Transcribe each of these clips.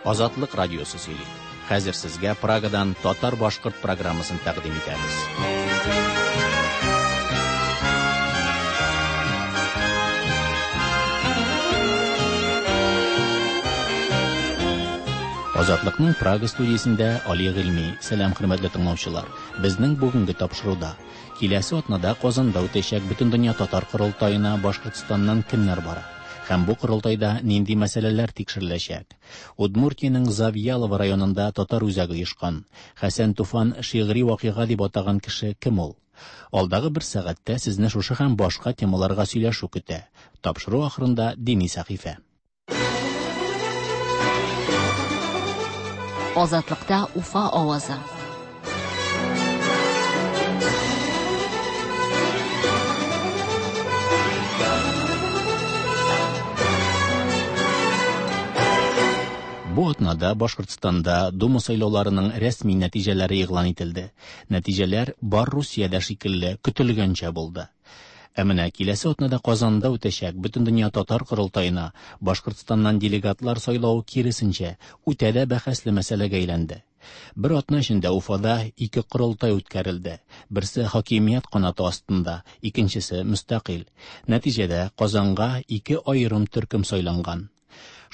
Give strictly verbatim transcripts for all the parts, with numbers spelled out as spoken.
Азатлык радиосы сөйли. Хәзер сезгә Прагадан татар-башкорт программасын тәкъдим итәбез. Азатлыкның Прага студиясендә Али Гыйльми. Сәлам, хөрмәтле тыңлаучылар. Безнең бүгенге тапшыруда киләсе атнада Казанда үтәчәк Бөтендөнья татар корылтаена Башкортстаннан кемнәр бара? Һәм бу корылтайда нинди мәсьәләләр тикшереләчәк? Удмуртиянең Завьялово районында татар үзәге оешкан. Хәсән Туфан шигъри вакыйга дип атаган кеше кем ул? Алдагы бер сәгатьтә сезне шушы һәм башка темаларга сөйләшү көтә. Тапшыру ахырында дини сәхифә. Азатлыкта Уфа авазы. Бу атнада Башкортстанда Дума сайлауларының рәсми нәтиҗәләре игълан ителде. Нәтиҗәләр бар Русиядә шикелле көтелгәнчә булды. Ә менә киләсе атнада Казанда үтәчәк Бөтендөнья татар корылтаена Башкортстаннан делегатлар сайлау киресенчә үтә дә бәхәсле мәсьәләгә әйләнде. Бер атна эчендә Уфада ике корылтай үткәрелде. Берсе хакимият канаты астында, икенчесе мөстәкыйль. Нәтиҗәдә Казанга ике аерым төркем сайланган.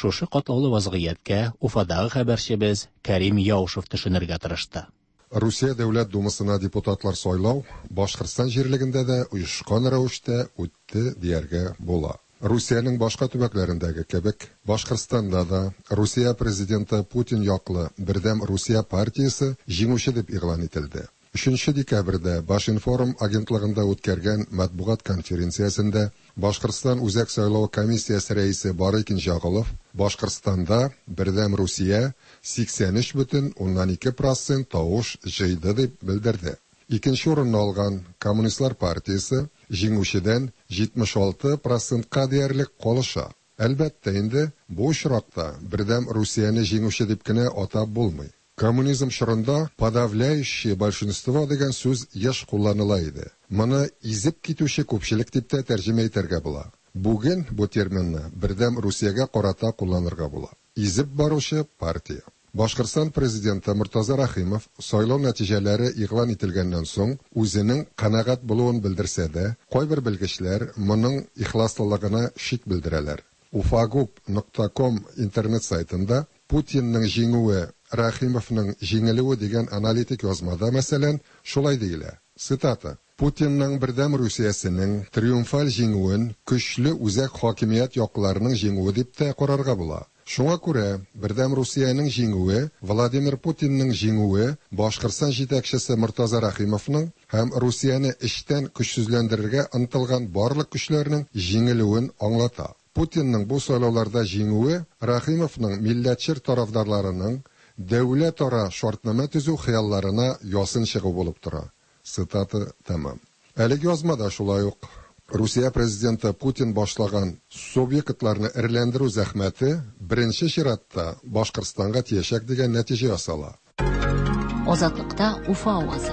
Шушы катлаулы вазгыятькә Уфадагы хәбәрчебез Кәрим Яушев төшенергә тырышты. Русия Дәүләт Думасына депутатлар сайлау Башкортстан җирлегендә дә оешкан рәвештә үтте дияргә була. Русиянең башка төбәкләрендәге кебек, Башкортстанда да Русия президенты Путин яклы Бердәм Русия партиясе җиңүче дип игълан ителде. Өченче декабрьдә Башинформ агентлыгында үткәргән матбугат конференциясендә Башкортстан Үзәк сайлау комиссиясе рәисе Барый Кинҗәгулов Башкортстанда Бердәм Русия сиксән өч бөтен уннан ике процент тавыш җыйды дип белдерде. Икенче урынны алган Коммунистлар партиясе җиңүчедән җитмеш алты процентка диярлек калыша. Әлбәттә инде, бу очракта Бердәм Русияне җиңүче дип кенә атап булмый. Коммунизм чорында подавляющее большинство дигән сүз еш кулланыла иде. Моны изеп китүче күпчелек дип тә тәрҗемә итәргә була. Бүген бу терминны Бердәм Русиягә карата кулланырга була. Изеп баручы партия. Башкортстан президенты Мортаза Рәхимов сайлау нәтиҗәләре игълан ителгәннән соң үзенең канәгать булуын белдерсә дә, кайбер белгечләр моның ихласлылыгына шик белдерәләр. Уфагуб нокта ком интернет сайтында Путинның җиңүе, Рәхимовның җиңелүе дигән аналитик язмада, мәсәлән, шулай диелә. Цитата: Путинның Бердәм Русиясенең триумфаль җиңүен көчле үзәк хакимият якларының җиңүе дип тә карарга була. Шуңа күрә Бердәм Русиянең җиңүе, Владимир Путинның җиңүе, Башкортстан җитәкчесе Мортаза Рәхимовның һәм Русияне эчтән көчсезләндерергә ынтылган барлык көчләрнең җиңелүен аңлата. Путинның бу сайлауларда җиңүе Рәхимовның милләтчел тарафдарларының дәүләт ара шартнамә төзү хыялларына ясын чыгу булып тора. Цитата тәмам. Әлеге язмада шулай ук Русия президенты Путин башлаган субъектларны эрләндерү зәхмәте беренче чиратта Башкортстанга тиячәк дигән нәтиҗә ясала. Азатлыкта Уфа авазы.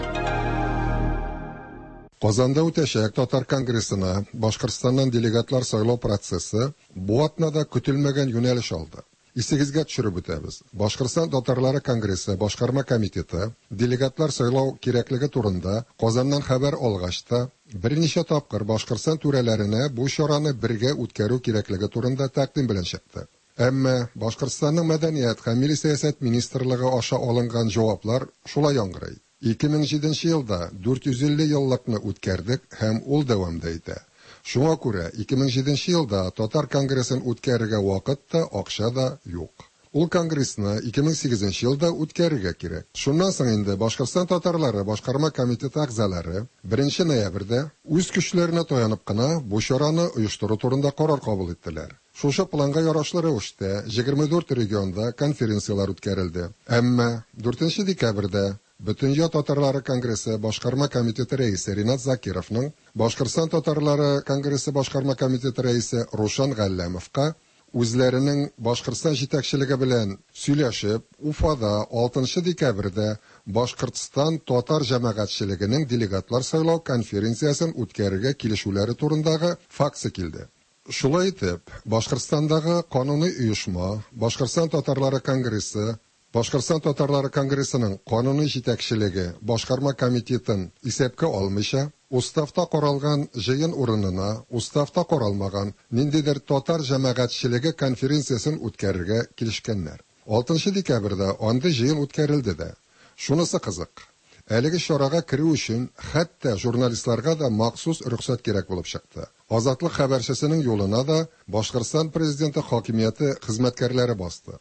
Казанда үтәчәк Татар конгрессына Башкортстаннан делегатлар сайлау процессы бу атнада көтелмәгән юнәлеш алды. Исегезгә төшереп үтәбез. Башкортстан Татарлары конгрессы башкарма комитеты делегатлар сайлау кирәклеге турында Казаннан хәбәр алгач та берничә тапкыр Башкортстан түрәләренә бу чараны бергә үткәрү кирәклеге турында тәкъдим белән чыкты. Әмма Башкортстанның Мәдәният һәм Милли сәясәт министрлыгы аша алынган җаваплар шулай яңгырый. Ике мең җиденче елда дүрт йөз илле еллыкны үткәрдек һәм ул дәвам да итә. Шуңа күрә ике мең җиденче елда Татар конгрессын үткәрергә вакыт та, акча да юк. Ул конгрессны ике мең сигезенче елда үткәрергә кирәк. Шуннан соң инде Башкортстан татарлары башкарма комитеты әгъзалары беренче ноябрьдә үз көчләренә таянып кына бу чараны оештыру турында карар кабул иттеләр. Шушы планга ярашлы рәвештә егерме дүрт регионда конференцияләр үткәрелде. Әмма дүртенче декабрьдә Бөтендөнья татарлары конгрессы башкарма комитеты рәисе Ринат Закировның Башкортстан татарлары конгрессы башкарма комитеты рәисе Рушан Галләмовка үзләренең Башкортстан җитәкчелеге белән сөйләшеп, Уфада алтынчы декабрьдә Башкортстан татар җәмәгатьчелегенең делегатлар сайлау конференциясен үткәрергә килешүләре турындагы факсы килде. Шулай итеп, Башкортстандагы кануни оешма, Башкортстан татарлары конгрессы, Башкортстан татарлары конгрессының кануни җитәкчелеге башкарма комитетын исәпкә алмыйча, уставта каралган җыен урынына уставта каралмаган ниндидер татар җәмәгатьчелеге конференциясен үткәрергә килешкәннәр. Алтынчы декабрьдә андый җыен үткәрелде дә. Шунысы кызык, әлеге чарага керү өчен хәтта журналистларга да махсус рөхсәт кирәк булып чыкты. Азатлык хәбәрчесенең юлына да Башкортстан президенты хакимияте хезмәткәрләре басты.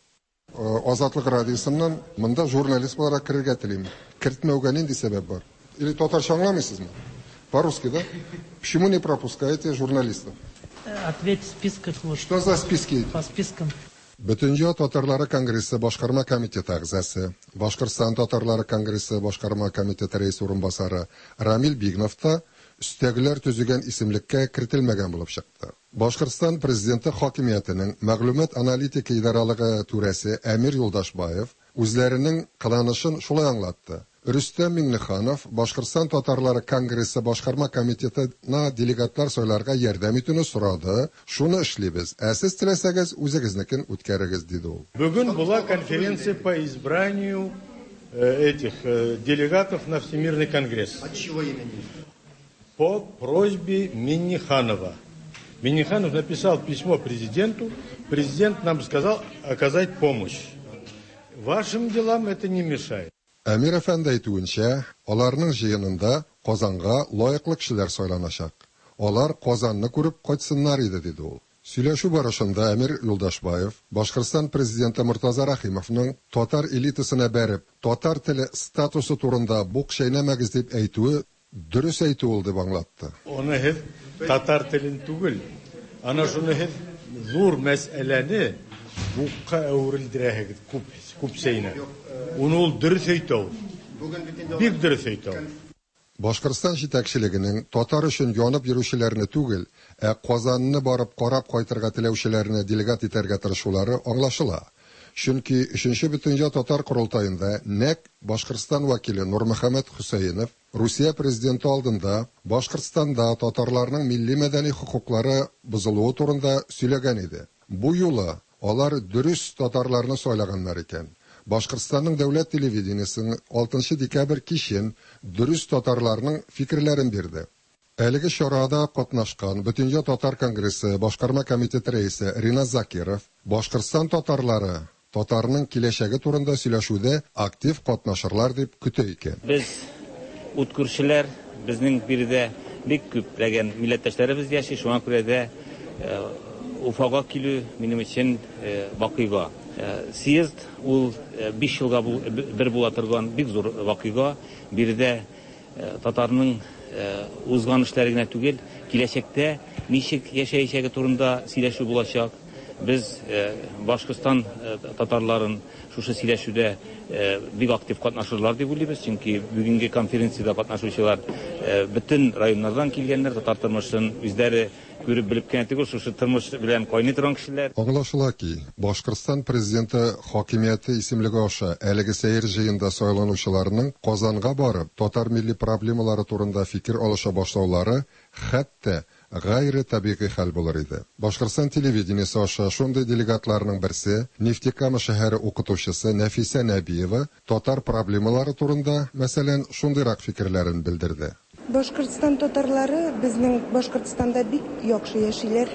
Азатлык радиосыннан монда журналист буларак керергә телим. Кертмәүгә нинди сәбәп бар? Или татарча аңламыйсызмы? По-русски, да? Почему не пропускаете журналистов? Ответь в списках. Вот. Что за списки? По спискам. Бөтендөнья татарлары конгрессы башкарма комитеты әгъзасы, Башкортстан татарлары конгрессы башкарма комитеты рәисе урынбасары Рамил Бигнов та өстәгеләр төзегән исемлеккә кертелмәгән булып чыкты. Башкортстан президенты хакимиятенең мәгълүмат аналитика идаралыгы түрәсе Әмир Юлдашбаев үзләренең кыланышын шулай аңлатты. Рөстәм Миңнеханов Башкортстан татарлары конгрессы башкарма комитетына делегатлар сайларга ярдәм итүне сорады. Шуны эшлибез. Ә сез теләсәгез үзегезнекен үткәрегез, диде ул. Бүген була конференция по избранию этих делегатов на Всемирный конгресс. От чего имени? По просьбе Минниханова. Минниханов написал письмо президенту. Президент нам сказал оказать помощь. Вашим делам это не мешает. Әмир әфәнде әйтүенчә, аларның җыенында Казанга лаеклы кешеләр сайланачак. Алар Казанны күреп кайтсыннар иде, диде ул. Сөйләшү барышында Әмир Юлдашбаев Башкортстан президенты Мортаза Рәхимовның татар элитасына бәреп, татар теле статусы турында бук чәйнәмәгез дип әйтүе дөрес әйтү ул дип аңлатты. Аны һеҙ татар телен түгел, ана шуны һеҙ ҙур мәсьәләне букка әүерелдерәһегеҙ күп, күп сәйнә. Уны ул дөрөҫ әйтә ул. Бик дөрөҫ әйтә ул. Башкортстан җитәкчелегенең татар өчен янып йөрүчеләрне түгел, ә Казанны барып карап кайтырга теләүчеләрне делегат итәргә тырышулары аңлашыла. Чөнки өченче бөтендөнья татар корылтаенда нәкъ Башкортстан вәкиле Нурмөхәммәт Хөсәенов Русия президенты алдында Башкортстанда татарларның милли мәдәни хокуклары бозылуы турында сөйләгән иде. Бу юлы алар дөрес татарларны сайлаганнар икән. Башкортстанның дәүләт телевидениесының алтынчы декабрь кичен дөрес татарларның фикерләрен бирде. Әлеге чарада катнашкан Бөтендөнья татар конгрессы башкарма комитеты рәисе Ринат Закиров Башкортстан татарлары татарның киләчәге турында сөйләшүдә актив катнашырлар дип көтә икән. Без ут күршеләр, безнең биредә бик күпләгән милләттәшләребез яши, шуңа күрә дә Уфага килү минем өчен вакыйга. Съезд ул биш елга бер була торган бик зур вакыйга. Биредә татарның узган эшләре генә түгел, киләчәктә ничек яшәячәге турында сөйләшү булачак. Без Башкортстан татарларын шушы сөйләшүдә бик актив катнашырлар дип уйлыйбыз, чөнки бүгенге конференциядә катнашучылар бөтен районнардан килгәннәр, татар тормышын үзләре күреп белеп кенә түгел, шушы тормыш белән кайный торган кешеләр. Аңлашыла ки, Башкортстан президенты хакимияте исемлеге аша әлеге сәер җыенда сайланучыларның Казанга барып татар милли проблемалары турында фикер алыша башлаулары хәтта гайре табигый хәл булыр иде. Башкортстан телевидениесе аша шундый делегатларның берсе Нефтекама шәһәре укытучысы Нәфисә Нәбиева татар проблемалары турында, мәсәлән, шундыйрак фикерләрен белдерде. Башкортстан татарлары безнең Башкортстанда бик яхшы яшиләр.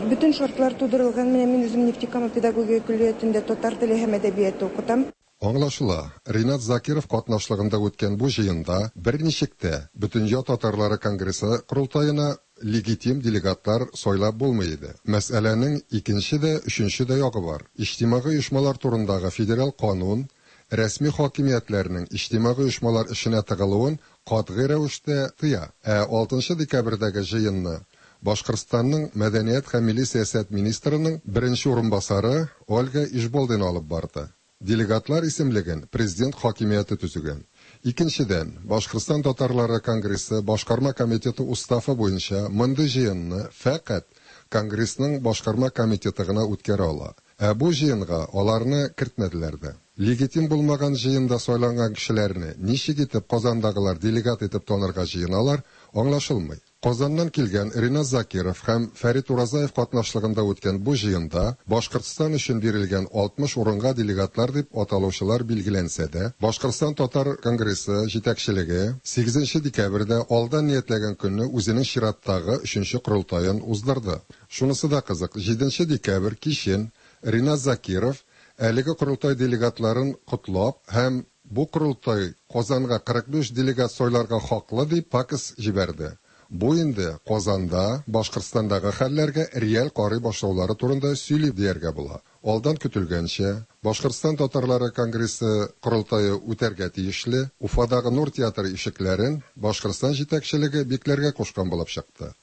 Бөтен шартлар тудырылган. Менә мин үзем Нефтекама педагогия көллиятендә татар теле һәм әдәбияты укытам. Аңлашыла, Ринат Закиров катнашлыгында үткән бу җыенда берничек тә Бөтендөнья татарлары конгрессы корылтаена легитим делегатлар сайлап булмый иде. Мәсьәләнең икенче дә, өченче дә ягы бар. Иҗтимагый оешмалар турындагы федераль канун рәсми хакимиятләрнең иҗтимагый оешмалар эшенә тыгылуын катгый рәвештә тыя. Ә алтынчы декабрьдәге җыенны Башкортстанның мәдәният һәм милли сәясәт министрының беренче урынбасары Ольга Ишболдина алып барды. Делегатлар исемлеген президент хакимияте төзегән. Икенчедән, Башкортстан татарлары конгрессы башкарма комитеты уставы буенча мондый җыенны фәкать конгрессның башкарма комитеты гына үткәрә ала. Ә бу җыенга аларны кертмәделәр дә. Легитим булмаган җыенда сайланган кешеләрне ничек итеп Казандагылар делегат итеп танырга җыеналар, аңлашылмый. Казаннан килгән Ринат Закиров һәм Фәрит Уразаев катнашлыгында үткән бу җыенда Башкортстан өчен бирелгән алтмыш урынга делегатлар дип аталучылар билгеләнсә дә, Башкортстан татар конгрессы җитәкчелеге сигезенче декабрьдә алдан ниятләгән көнне үзенең чираттагы өченче корылтаен уздырды. Шунысы да кызык, җиденче декабрь кичен Ринат Закиров әлеге корылтай делегатларын котлап һәм бу корылтай Казанга кырык биш делегат сайларга хаклы дип факс җибәрде. Бу инде Казанда, Башкортстандагы хәлләргә реаль карый башлаулары турында сөйли дияргә була. Алдан көтелгәнчә, Башкортстан татарлары конгрессы корылтае үтәргә тиешле Уфадагы Нур театры ишекләрен Башкортстан җитәкчелеге бикләргә кушкан булып чыкты.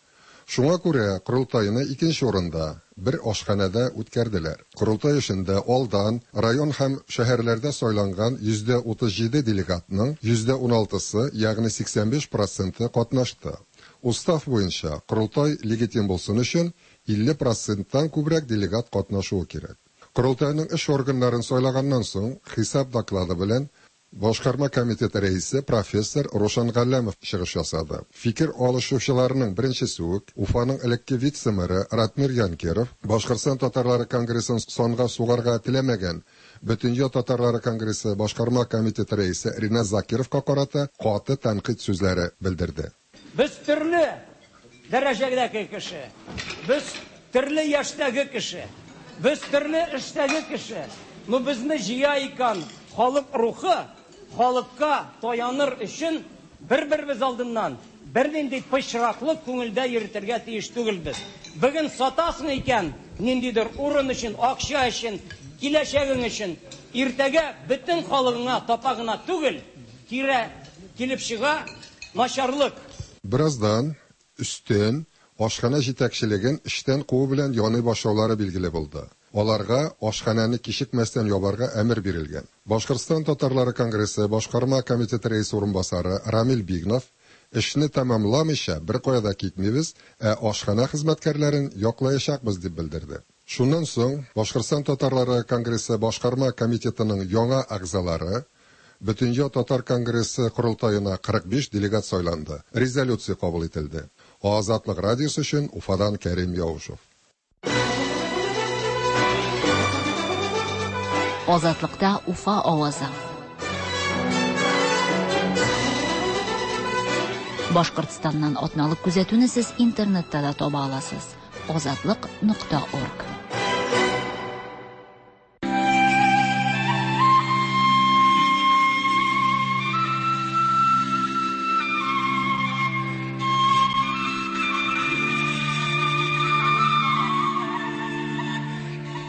Шуңа күрә корылтайны икенче урында, бер ашханәдә үткәрделәр. Корылтай эшендә алдан район һәм шәһәрләрдә сайланган йөздә утыз җиде делегатның йөздә уналтысы, ягъни сиксән биш проценты катнашты. Устав буенча корылтай легитим булсын өчен илле проценттан күбрәк делегат катнашуы кирәк. Корылтайның эш органнарын сайлаганнан соң хисап доклады белән Башкарма комитеты рәисе профессор Рошан Галләмов чыгыш ясады. Фикер алышучыларның беренчесе үк Уфаның элекке вице-мэры Ратмир Янкеров Башкортстан татарлары конгрессын санга сугарга теләмәгән Бөтендөнья татарлары конгрессы башкарма комитеты рәисе Ринат Закировка карата каты тәнкыйть сүзләре белдерде. Без төрле дәрәҗәдәге кеше, без төрле яшьтәге кеше, без төрле эштәге кеше. Но безне җыя икән халык рухы, халыкка таяныр өчен бер-беребез алдыннан бернинди пычраклык күңелдә йөртергә тиеш түгелбез. Бүген сатасың икән, ниндидер урын өчен, акча өчен, киләчәгең өчен, иртәгә бөтен халыгыңа тапа гына түгел, кире килеп чыга начарлык. Бераздан өстен ашханә җитәкчелеген эштән куу белән яный башлаулары билгеле булды. Аларга ашханәне кичекмәстән ябарга әмер бирелгән. Башкортстан татарлары конгрессы башкарма комитеты рәисе урынбасары Рамил Бигнов эшне тәмамламыйча бер кая да китмибез, ә ашханә хезмәткәрләрен яклаячакбыз дип белдерде. Шуннан соң Башкортстан татарлары конгрессы башкарма комитетының яңа әгъзалары Бөтендөнья татар конгрессы корылтаена кырык биш делегат сайланды. Резолюция кабул ителде. Азатлык радиосы өчен Уфадан Кәрим Яушев. Азатлыкта Уфа авазы. Башкортстаннан атналык күзәтүне сез интернетта да таба аласыз. Азатлык нокта орг.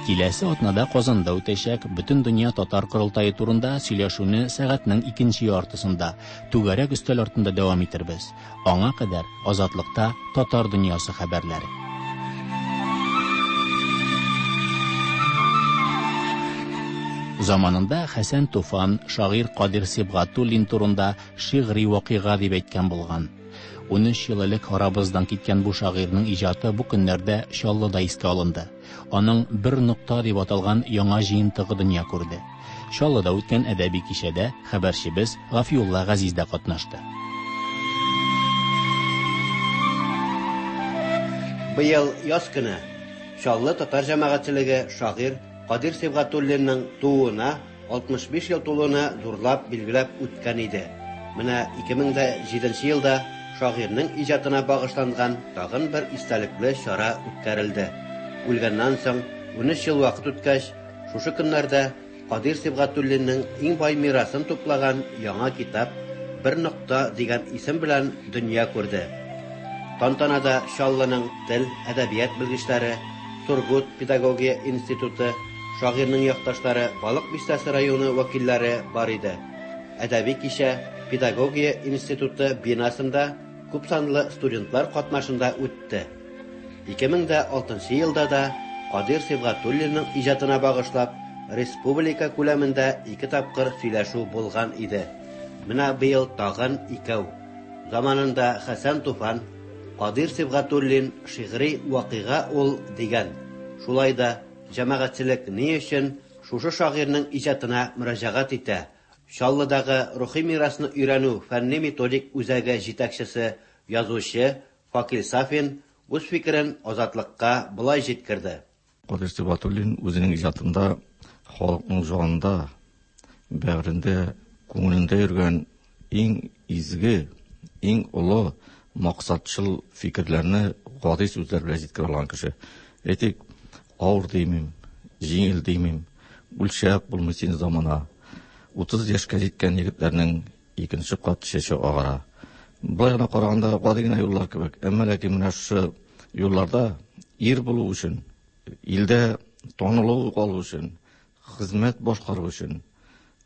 Киләсе атнада Казанда үтәчәк Бөтендөнья татар корылтае турында сөйләшүне сәгатьнең икенче яртысында түгәрәк өстәл артында дәвам итербез. Аңа кадәр Азатлыкта татар дөньясы хәбәрләре. Заманында Хәсән Туфан шагыйрь Кадир Сибгатуллин турында шигъри вакыйга дип әйткән булган. Унөч ел элек арабыздан киткән бу шагыйрьнең иҗаты бу көннәрдә Чаллыда искә алынды. Аның бер нокта дип аталган яңа җыентыгы дөнья күрде. Чаллыда үткән әдәби кичәдә хәбәрчебез Гафиулла Газиз дә катнашты. Быел яз көне Чаллы татар җәмәгатьчелеге шагыйрь Кадир Сибгатуллинның тууына алтмыш биш ел тулуына зурлап билгеләп үткән иде. Менә ике мең дә җиденче елда шагыйрьнең иҗатына багышланган тагын бер истәлекле чара үткәрелде. Үлгәннән соң унөч ел вакыт үткәч, шушы көннәрдә Кадир Сибгатуллинның иң бай мирасын туплаган яңа китап Бер нокта дигән исем белән дөнья күрде. Тантанада Чаллының тел, әдәбият белгечләре, Сургут педагогия институты, шагыйрьнең якташлары, Балык бистәсе районы вәкилләре бар иде. Әдәби кичә Педагогия институты бинасында күп санлы студентлар катнашында үтте. Ике мең дә алтынчы елда да Кадир Сибгатуллинның иҗатына багышлап республика күләмендә ике тапкыр сөйләшү булган иде. Менә быел тагын икәү. Заманында Хәсән Туфан Кадир Сибгатуллин шигъри вакыйга ул дигән. Шулай да җәмәгатьчелек ни өчен шушы шагыйрьнең иҗатына мөрәҗәгать итә? Чаллыдагы рухи мирасны өйрәнү фәнни методик үзәге җитәкчесе, язучы Факил Сафин үз фикерен Азатлыкка болай җиткерде. Кадыйр Сибгатуллин үзенең иҗатында халыкның җанында, бәгырендә, күңелендә йөргән иң изге, иң олы максатчыл фикерләрне гади сүзләр белән җиткерә алган кеше. Әйтик, авыр димим, җиңел димим, үлчәп булмый сине замана. Утыз яшькә җиткән егетләрнең икенче кат чәче агара. Болай гына караганда гади генә юллар кебек. Әмма ләкин менә шушы юлларда ир булу өчен, илдә танылу калу өчен, хезмәт башкару өчен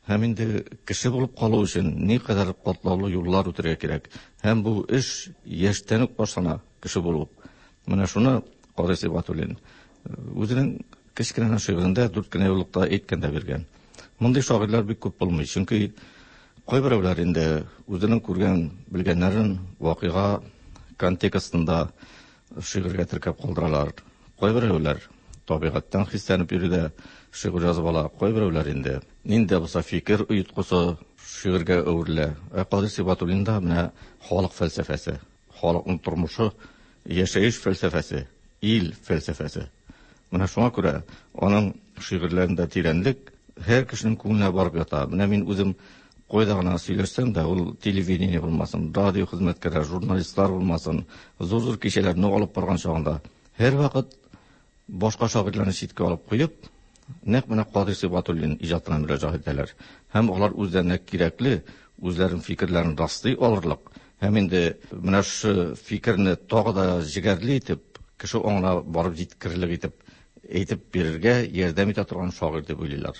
һәм инде кеше булып калу өчен никадәр катлаулы юллар үтәргә кирәк. Һәм бу эш яшьтән үк башлана, кеше булу. Менә шуны Кадыйр Сибгатуллин үзенең кечкенә шигырендә дүрт кенә юллыкта әйткән дә биргән. Мондый шагыйрьләр бик күп булмый, чөнки кайберәүләр инде үзенең күргән, белгәннәрен вакыйга контекстында шигырьгә теркәп калдыралар. Кайберәүләр табигатьтән хисләнеп йөри дә шигырь язып ала. Кайберәүләр инде нинди дә булса фикер оеткысы шигырьгә әверелә. Ә Кадыйр Сибгатуллинда менә халык фәлсәфәсе, халыкның тормышы, яшәеш фәлсәфәсе, ил фәлсәфәсе. Менә шуңа күрә аның шигырьләрендә тирәнлек һәр кешенең күңеленә барып ята. Менә мин үзем кайда гына сөйләшсәм дә, ул телевидение булмасын, радио хезмәткәрләре, журналистлар булмасын, зур-зур кичәләрне алып барган чагында һәрвакыт башка шагыйрьләрне читкә алып куеп, нәкъ менә Кадыйр Сибгатуллин иҗатына мөрәҗәгать итәләр. Һәм алар үзләренә кирәкле, үзләренең фикерләрен раслый алырлык, һәм инде менә шушы фикерне тагы да җегәрле итеп, кеше аңына барып җиткерерлек итеп әйтеп бирергә ярдәм итә торган шагыйрь дип уйлыйлар.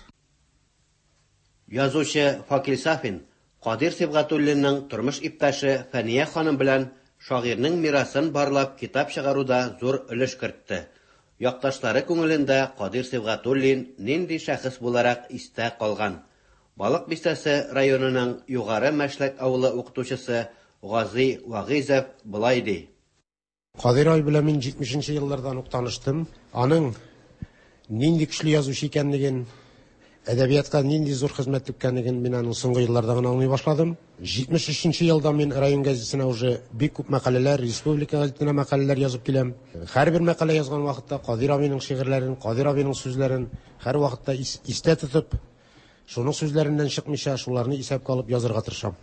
Язучы Факил Сафин Кадыйр Сибгатуллинның тормыш иптәше Фәния ханым белән шагыйрьнең мирасын барлап китап чыгаруда зур өлеш кертте. Якташлары күңелендә Кадыйр Сибгатуллин нинди шәхес буларак истә калган? Балык Бистәсе районының Югары Мәшләк авылы укытучысы Гази Вагыйзов болай ди. Кадыйр абый белән мин җитмешенче еллардан ук таныштым. Аның нинди көчле язучы икәнлеген, әдәбиятка нинди зур хезмәт иткәнлеген мин аның соңгы елларда гына аңлый башладым. Җитмеш өченче елда мин район газетасына уже бик күп мәкаләләр, республика газетына мәкаләләр язып киләм. Һәрбер мәкалә язган вакытта Кадыйр абыйның шигырьләрен, Кадыйр абыйның сүзләрен һәр вакытта истә тотып, шуның сүзләреннән чыкмыйча, шуларны исәпкә алып язырга тырышам.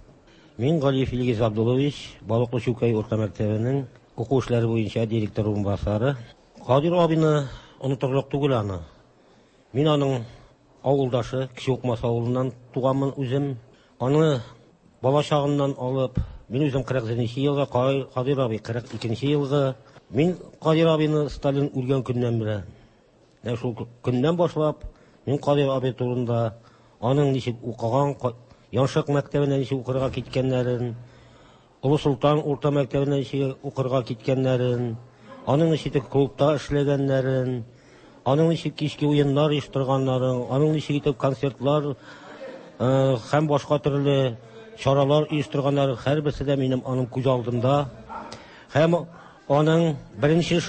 Мин Галиев Илгиз Абдуллович, Балыклы Чүкәй урта мәктәбенең уку эшләре буенча директор урынбасары. Кадыйр абыйны онытырлык түгел аны. Мин аның авылдашы, Кече Укмас авылыннан туганмын үзем. Аны бала чагыннан алып, мин үзем кырык җиденче елгы, Кадыйр абый кырык икенче елгы. Мин Кадыйр абыйны Сталин үлгән көннән беләм. Менә шул көннән башлап, мин Кадыйр абый турында, аның ничек укыган, Яншык мәктәбенә ничек укырга киткәннәрен, Олы Солтан урта мәктәбенә ничек укырга киткәннәрен, аның ничек клубта эшләгәннәрен, аның ничек кичке уеннар оештырганнарын, аның ничек итеп концертлар һәм башка төрле чаралар оештырганнары, һәрберсе дә минем аның күз алдында. Һәм аның беренче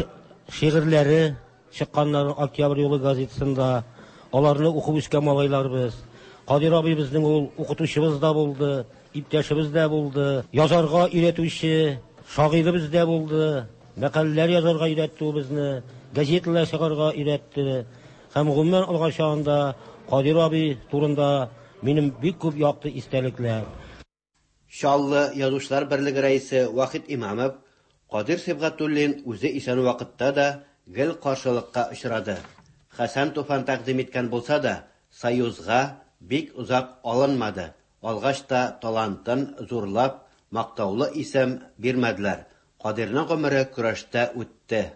шигырьләре чыкканнары Октябрь юлы газетасында, аларны укып үскән малайларбыз. Кадыйр абый безнең ул укытучыбыз да булды, иптәшебез дә булды, язарга өйрәтүче шагыйребез дә булды, мәкаләләр язарга өйрәтте ул безне, газеталар чыгарга өйрәтте. Һәм гомумән алган чагында Кадыйр абый турында минем бик күп якты истәлекләр. Чаллы Язучылар берлеге рәисе Вахит Имамов Кадыйр Сибгатуллин үзе исән вакытта да гел каршылыкка очрады. Хәсән Туфан тәкъдим иткән булса да, Союзга бик озак алынмады. Алгач та талантын зурлап, мактаулы исем бирмәделәр. Кадыйрның гомере көрәштә үтте.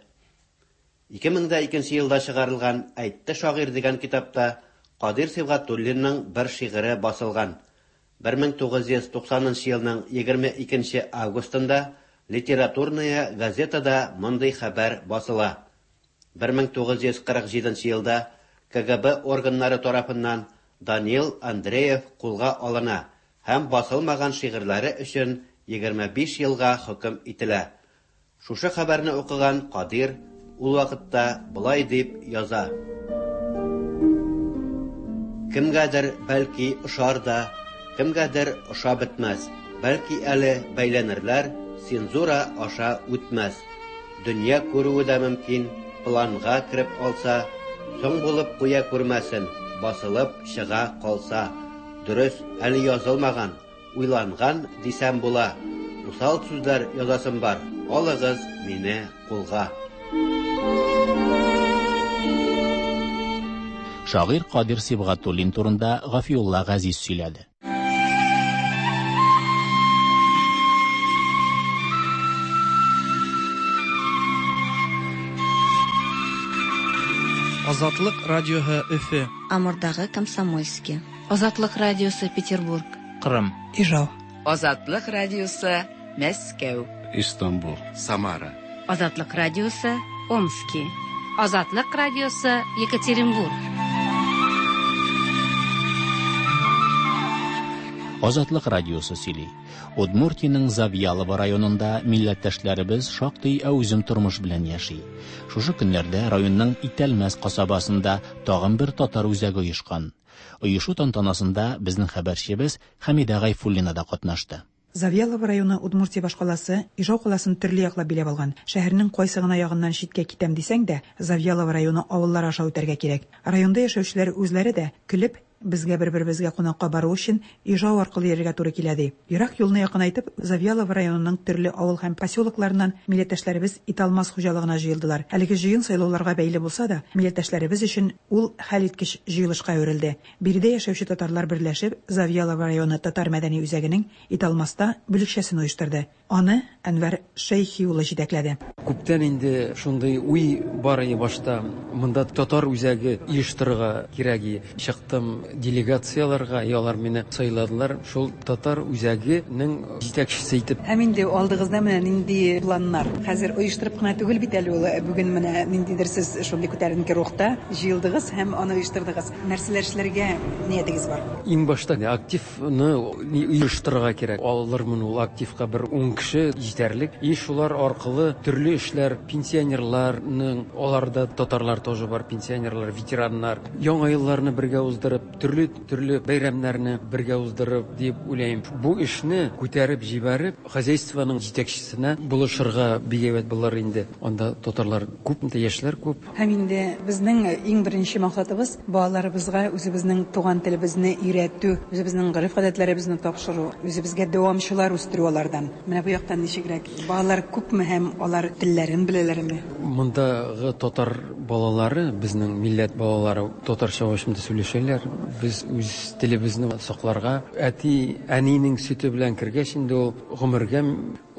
Ике мең дә икенче елда чыгарылган Әйтте шагыйрь дигән китапта Кадыйр Сибгатуллинның бер шигыре басылган. Бер мең тугыз йөз туксанынчы елның егерме икенче августында Литературная газетада мондый хәбәр басыла. Бер мең тугыз йөз кырык җиденче елда К Г Б органнары тарафыннан Даниил Андреев кулга алына һәм басылмаган шигырьләре өчен егерме биш елга хөкем ителә. Шушы хәбәрне укыган Кадыйр ул вакытта болай дип яза: Кемгәдер бәлки ошар да, кемгәдер ошап бетмәс, бәлки әле бәйләнерләр Цензура аша үтмәс. Дөнья күрүе дә мөмкин, планга кереп алса, соң булып куя күрмәсен, басылып чыга калса. Дөрес, әле язылмаган, уйланган дисәм була. Усал сүзләр язасым бар, алыгыз мине кулга. Шагыйрь Кадир Сибгатуллин турында Гафиулла Газиз сөйләде. Азатлык радиоһы Өфе. Амурдагы Комсомольский. Азатлык радиосы Петербург. Кырым. Ижау. Азатлык радиосы Мәскәү. Истанбул. Самара. Азатлык радиосы Омски. Азатлык радиосы Екатеринбург. Азатлык радиосы сөйли. Удмуртиянең Завьялово районында милләттәшләребез шактый әүзем тормыш белән яши. Шушы көннәрдә районның Итәлмәс касабасында тагын бер татар үзәге оешкан. Оешу тантанасында безнең хәбәрчебез Хәмидә Гайфуллина да катнашты. Завьялово районы Удмуртия башкаласы Ижау каласын төрле яклап биләп алган. Шәһәрнең кайсы гына ягыннан читкә китәм дисәң дә, Завьялово районы авыллары аша үтәргә кирәк. Районда яшәүчеләр үзләре дә көлеп, безгә бер-беребезгә кунакка бару өчен Ижау аркылы йөрергә туры килә ди. Ерак юлны якынайтып, Завьялово районының төрле авыл һәм поселокларыннан милләттәшләребез Италмас хуҗалыгына җыелдылар. Әлеге җыен сайлауларга бәйле булса да, милләттәшләребез өчен ул хәлиткеч җыелышка әверелде. Биредә яшәүче татарлар берләшеп, Завьялово районы татар мәдәни үзәгенең Италмаста бүлекчәсен оештырды. Аны Әнвәр Шәйхи улы җитәкләде. Күптән инде шундый уй бар иде башта. Монда татар үзәге оештырырга кирәк иде. Чыктым делегацияларга, алар мине сайладылар. Шул татар үзәгенең җитәкчесе итеп. Һәм инде алдыгызда менә нинди планнар? Хәзер оештырып кына түгел бит әле ул. Бүген менә ниндидер сез шундый күтәренке рухта җыелдыгыз һәм аны оештырдыгыз. Нәрсәләр эшләргә ниятегез бар? Иң башта активны оештырырга кирәк. Алырмын ул активка бер ун кеше җитәрлек. И шулар аркылы төрле эшләр, пенсионерларның, аларда татарлар тоже бар, пенсионерлар, ветераннар, яңа елларны бергә уздырып, төрле-төрле бәйрәмнәрне бергә уздырып дип уйлыйм. Бу эшне күтәреп җибәреп, хозяйствоның җитәкчесенә булышырга бик әйбәт булыр инде. Анда татарлар күп, яшьләр күп. Һәм инде безнең иң беренче максатыбыз балаларыбызга үзебезнең туган телебезне өйрәтү, үзебезнең гореф-гадәтләребезне тапшыру, үзебезгә дәвамчылар үстерү алардан. Менә бу яктан ничегрәк? Балалар күпме һәм алар телләрен беләләрме? Мондагы татар балалары, безнең милләт балалары татарча башында сөйләшәләр. Без үз телебезне сакларга, әти, әнинең сөте белән кергәч инде ул гомергә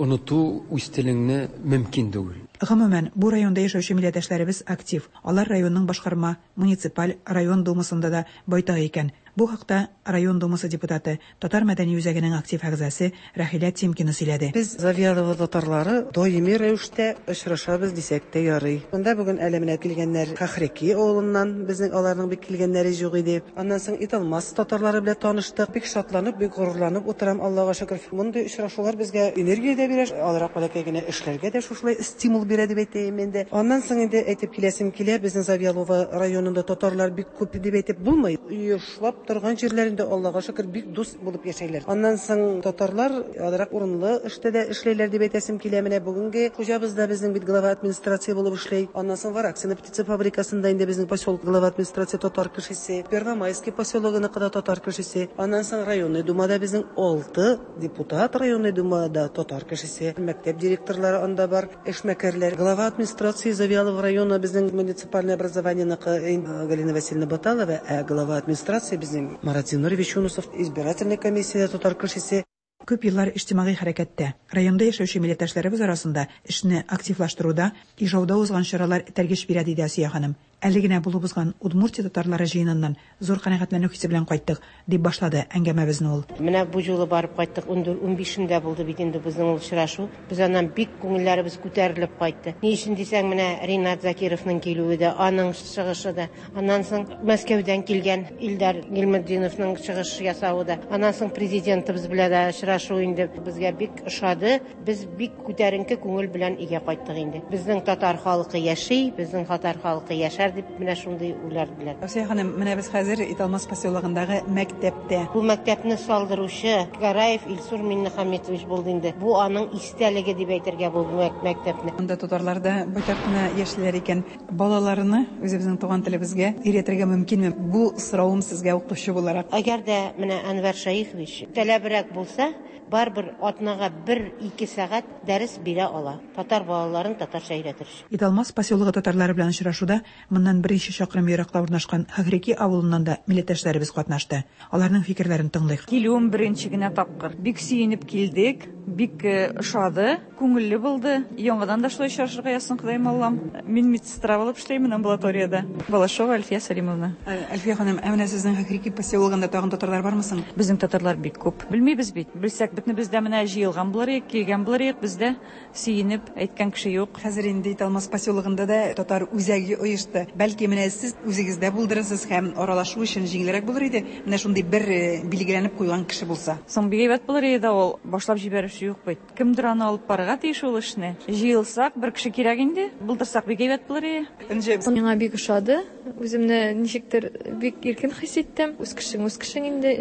оныту үз телеңне мөмкин түгел. Гомумән, бу районда яшәүче милләттәшләребез актив. Алар районның башкарма, муниципаль, район думасында да байтак икән. Бу хакта район думасы депутаты, Татар мәдәни үзәгенең актив әгъзасы Рәхилә Тимкина сөйләде. Без Завьялово татарлары даими рәвештә очрашабыз дисәк тә ярый. Монда бүген әле менә килгәннәр Хахреки авылыннан, безнең аларның бик килгәннәре юк иде. Аннан соң Италмас татарлары белән таныштык. Бик шатланып, бик горурланып утырам, Аллага шөкер. Мондый очрашулар безгә энергия дә бирә, алрак бәләкәй генә эшләргә дә шушылай стимул бирә дип әйтәем инде. Аннан соң инде әйтеп киләсем килә, безнең Завьялово районында татарлар бик күп дип әйтеп булмый. Оешлап торган җирләрендә Аллага шөкер бик дус булып яшәйләр. Аннан соң татарлар азрак урынлы эштә дә эшләйләр дип әйтәсем килә. Менә бүгенге хуҗабыз да безнең бит глава администрация булып эшләй. Аннан соң Вараксино птица фабрикасында инде безнең поселок глава администрация татар кешесе, Первомайский поселогыныкы да татар кешесе. Аннан соң районный думада безнең алты депутат районный думада татар кешесе, мәктәп директорлары анда бар, эшмәкәрләр. Глава администрации Завьялово района безнең муниципальное образованиеныкы Галина Васильевна Баталова, ә глава администрации безнең Марат Зинурович Юнусов, избирательный комиссия татар кешесе. Күп еллар иҗтимагый хәрәкәттә, районда яшәүче милләттәшләребез арасында эшне активлаштыруда, Ижауда узган чаралар этәргеч бирә, диде Асия ханым. Әле генә булып узган Удмуртия татарлары җыеныннан зур канәгатьләнү хисе белән кайттык, дип башлады әңгәмәбезне ул. Менә бу юлы барып кайттык, ун бишендә булды бит инде безнең ул очрашу. Без аннан бик күңелләребез күтәрелеп кайтты. Ни өчен дисәң, менә Ринат Закировның килүе дә, аның чыгышы да, аннан соң Мәскәүдән килгән Илдар Гилметдиновның чыгыш ясавы да, аннан соң президентыбыз белән дә очрашу инде безгә бик ошады. Без бик күтәренке күңел белән өйгә кайттык инде. Безнең татар халкы яши, безнең татар халкы яшәр яшәсеннәр дип менә шундый уйлар белән. Әүсия ханым, менә без хәзер Италмас поселогындагы мәктәптә. Бу мәктәпне салдыручы Гараев Илсур Миннехаметович булды инде. Бу аның истәлеге дип әйтергә бу мәктәпне. Монда татарлар да байтак кына яшиләр икән. Балаларны үзебезнең туган телебезгә өйрәтергә мөмкинме? Бу соравым сезгә укытучы буларак. Әгәр дә менә Әнвәр Шәехович таләбрәк булса, барыбер атнага бер-ике сәгать дәрес бирә ала. Татар балаларын татарча өйрәтер. Италмас поселогы татарлары белән очрашуда моннан берничә чакрым еракта урнашкан Хахреки авылыннан да милләттәшләребез катнашты. Аларның фикерләрен тыңлыйк. Килүем беренче генә тапкыр. Бик сөенеп килдек, бик ошады, күңелле булды. Яңадан да шулай очрашырга язсын, Ходаем Аллам. Мин медсестра булып эшләймен амбулаториядә. Балашова Альфия Салимовна. Альфия ханым, ә менә сезнең Хахреки поселогында тагын татарлар бармы соң? Безнең татарлар бик күп. Белмибез бит. Белсәк, бөтен бездә менә җыелган булыр идек, килгән булыр идек, бездә сөенеп әйткән кеше юк. Хәзер инде Италмас поселогында да татар үзәге оешты. Бәлки менә сез үзегездә булдырырсыз һәм аралашу өчен җиңелрәк булыр иде. Менә шундый бер билгеләнеп куйган кеше булса. Соң бик әйбәт булыр иде ул. Башлап җибәрүче юк бит. Кемдер аны алып барырга тиеш ул эшне. Җыелсак, бер кеше кирәк инде. Булдырсак бик әйбәт булыр иде. Миңа бик ошады. Үземне ничектер бик иркен хис иттем. Үз кешең, үз кешең инде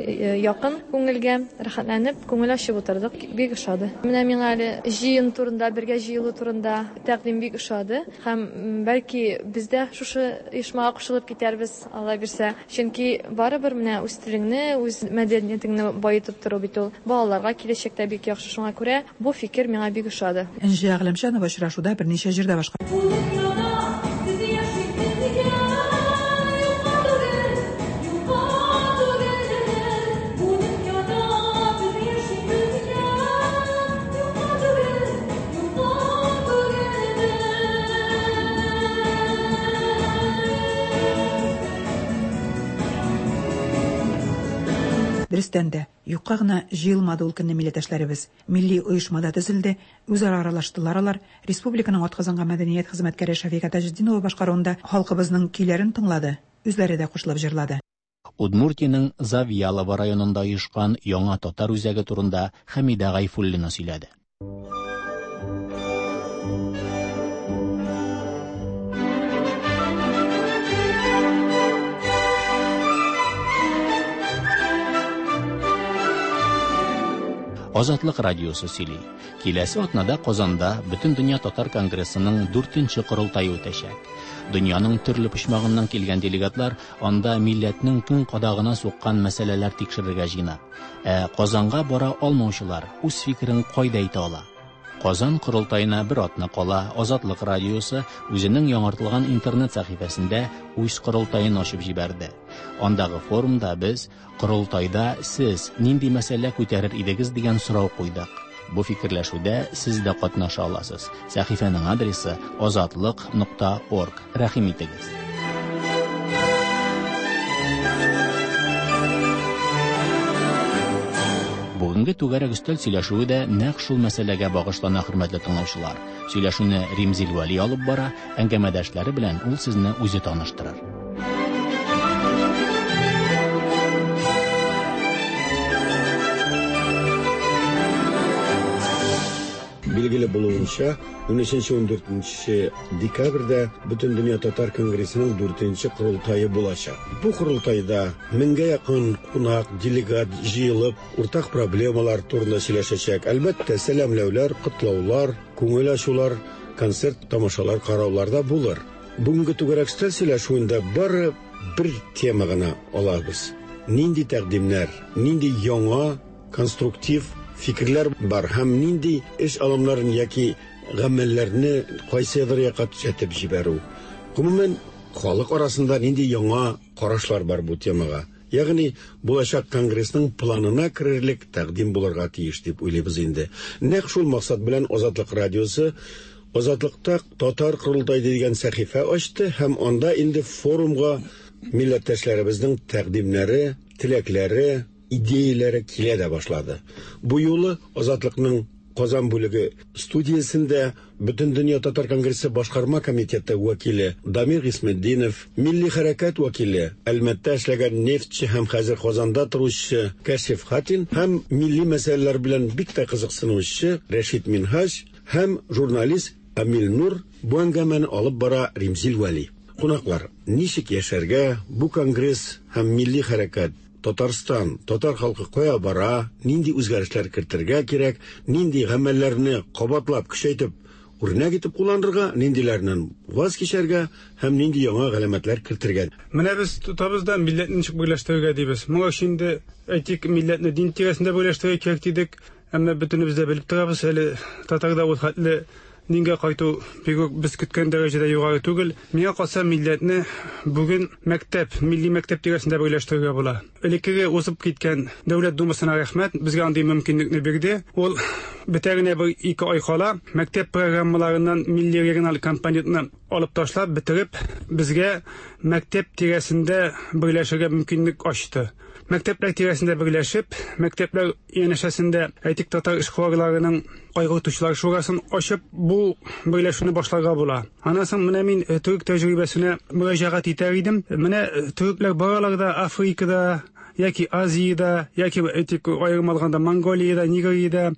якын күңелгә, рәхәтләнеп, күңел ачып утырдык. Бик ошады. Менә миңа әле җыен турында, бергә җыелу турында тәкъдим бик ошады. Һәм бәлки без дә шушы оешмага кушылып китәрбез, Алла бирсә. Чөнки барыбер менә үз телеңне, үз мәдәниятеңне баетып тору бит ул балаларга киләчәктә бик яхшы. Шуңа күрә бу фикер миңа бик ошады. Энҗе Әгъләмчанова очрашуда берничә җирдә башка. Дөрестән дә, юкка гына җыелмады ул көнне милләттәшләребез. Милли оешмада төзелде, үзара аралаштылар алар. Республиканың атказанган мәдәният хезмәткәре Шәфика Таҗетдинова башкаруында халкыбызның көйләрен тыңлады, үзләре дә кушылып җырлады. Удмуртиянең Завьялово районында оешкан яңа татар үзәге турында Хәмидә Гайфуллина сөйләде. Азатлык радиосы сөйли. Киләсе атнада Казанда Бөтендөнья татар конгрессының дүртенче корылтае үтәчәк. Дөньяның төрле почмагыннан килгән делегатлар анда милләтнең көн кадагына суккан мәсьәләләр тикшерергә җыена. Ә Казанга бара алмаучылар үз фикерен кайда әйтә ала? Казан корылтаена бер атна кала Азатлык радиосы үзенең яңартылган интернет сәхифәсендә үз корылтаен ачып җибәрде. Андагы форумда без корылтайда сез нинди мәсьәлә күтәрер идегез дигән сорау куйдык. Бу фикерләшүдә сез дә катнаша аласыз. Сәхифәнең адресы азатлык нокта орг. Рәхим итегез. Бүгенге түгәрәк өстәл сөйләшүе дә нәкъ шул мәсьәләгә багышлана, хөрмәтле тыңлаучылар. Сөйләшүне Римзил Вәли алып бара, әңгәмәдәшләре белән ул сезне үзе таныштырыр. Билгеле булуынча, унөченче ун дүртенче декабрьдә Бөтендөнья татар конгрессының дүртенче корылтае булачак. Бу корылтайда меңгә якын кунак, делегат җыелып, уртак проблемалар турында сөйләшәчәк. Әлбәттә, сәламләүләр, котлаулар, күңел ачулар, концерт, тамашалар караулар да булыр. Бүгенге түгәрәк өстәл сөйләшүендә бары бер тема гына алабыз. Нинди тәкъдимнәр, нинди яңа конструктив фикерләр бар һәм нинди эш алымнарын яки гамәлләрне кайсыдыр якка төзәтеп җибәрү. Гомумән, халык арасында нинди яңа карашлар бар бу темага. Ягъни булачак конгрессның планына керерлек тәкъдим булырга тиеш дип уйлыйбыз инде. Нәкъ шул максат белән Азатлык радиосы Азатлыкта татар корылтае дигән сәхифә ачты һәм анда инде форумга милләттәшләребезнең тәкъдимнәре, теләкләре, идеяләре килә дә башлады. Бу юлы Азатлыкның Казан бүлеге студиясендә Бөтендөнья татар конгрессы башкарма комитеты вәкиле Дамир Гисметдинов, милли хәрәкәт вәкиле, Әлмәттә эшләгән нефтче һәм хәзер Казанда торучы Кәшиф Хатин һәм милли мәсьәләләр белән бик тә кызыксынучы Рәшит Минһаҗ һәм журналист Амил Нур бу әңгәмәне алып бара Римзил Вәли. Кунаклар, ничек яшәргә, бу конгресс һәм милли хәрәкәт, Татарстан, татар халкы кая бара, нинди үзгәрешләр кертергә кирәк, нинди гамәлләрне кабатлап, көчәйтеп, үрнәк итеп кулланырга, ниндиләреннән ваз кичәргә һәм нинди яңа галәмәтләр кертергә. Менә без тотабыз да милләтне ничек берләштерергә дибез. Моңа өчен инде әйтик, милләтне дин тирәсендә берләштерергә кирәк дидек. Әмма бөтенебез дә белеп торабыз, әле татарда ул хәтле дингә кайту бик үк без көткән дәрәҗәдә югары түгел. Миңа калса, милләтне бүген мәктәп, милли мәктәп тирәсендә берләштерергә була. Элеккеге узып киткән Дәүләт Думасына рәхмәт, безгә андый мөмкинлекне бирде. Ул бетә генә бер ике ай кала мәктәп программаларыннан милли региональ компонентны алып ташлап, бетереп, безгә мәктәп тирәсендә берләшергә мөмкинлек ачты. Мәктәпләр тирәсендә берләшеп, мәктәпләр янәшәсендә әйтик татар эшкуарларының кайгыртучылар шурасын ачып, бу берләшүне башларга була. Аннан соң менә мин төрек тәҗрибәсенә мөрәҗәгать итәр идем. Менә төрекләр баралар да Африкада, яки Азиядә, яки әйтик аерым алганда Монголиядә, Нигериядә,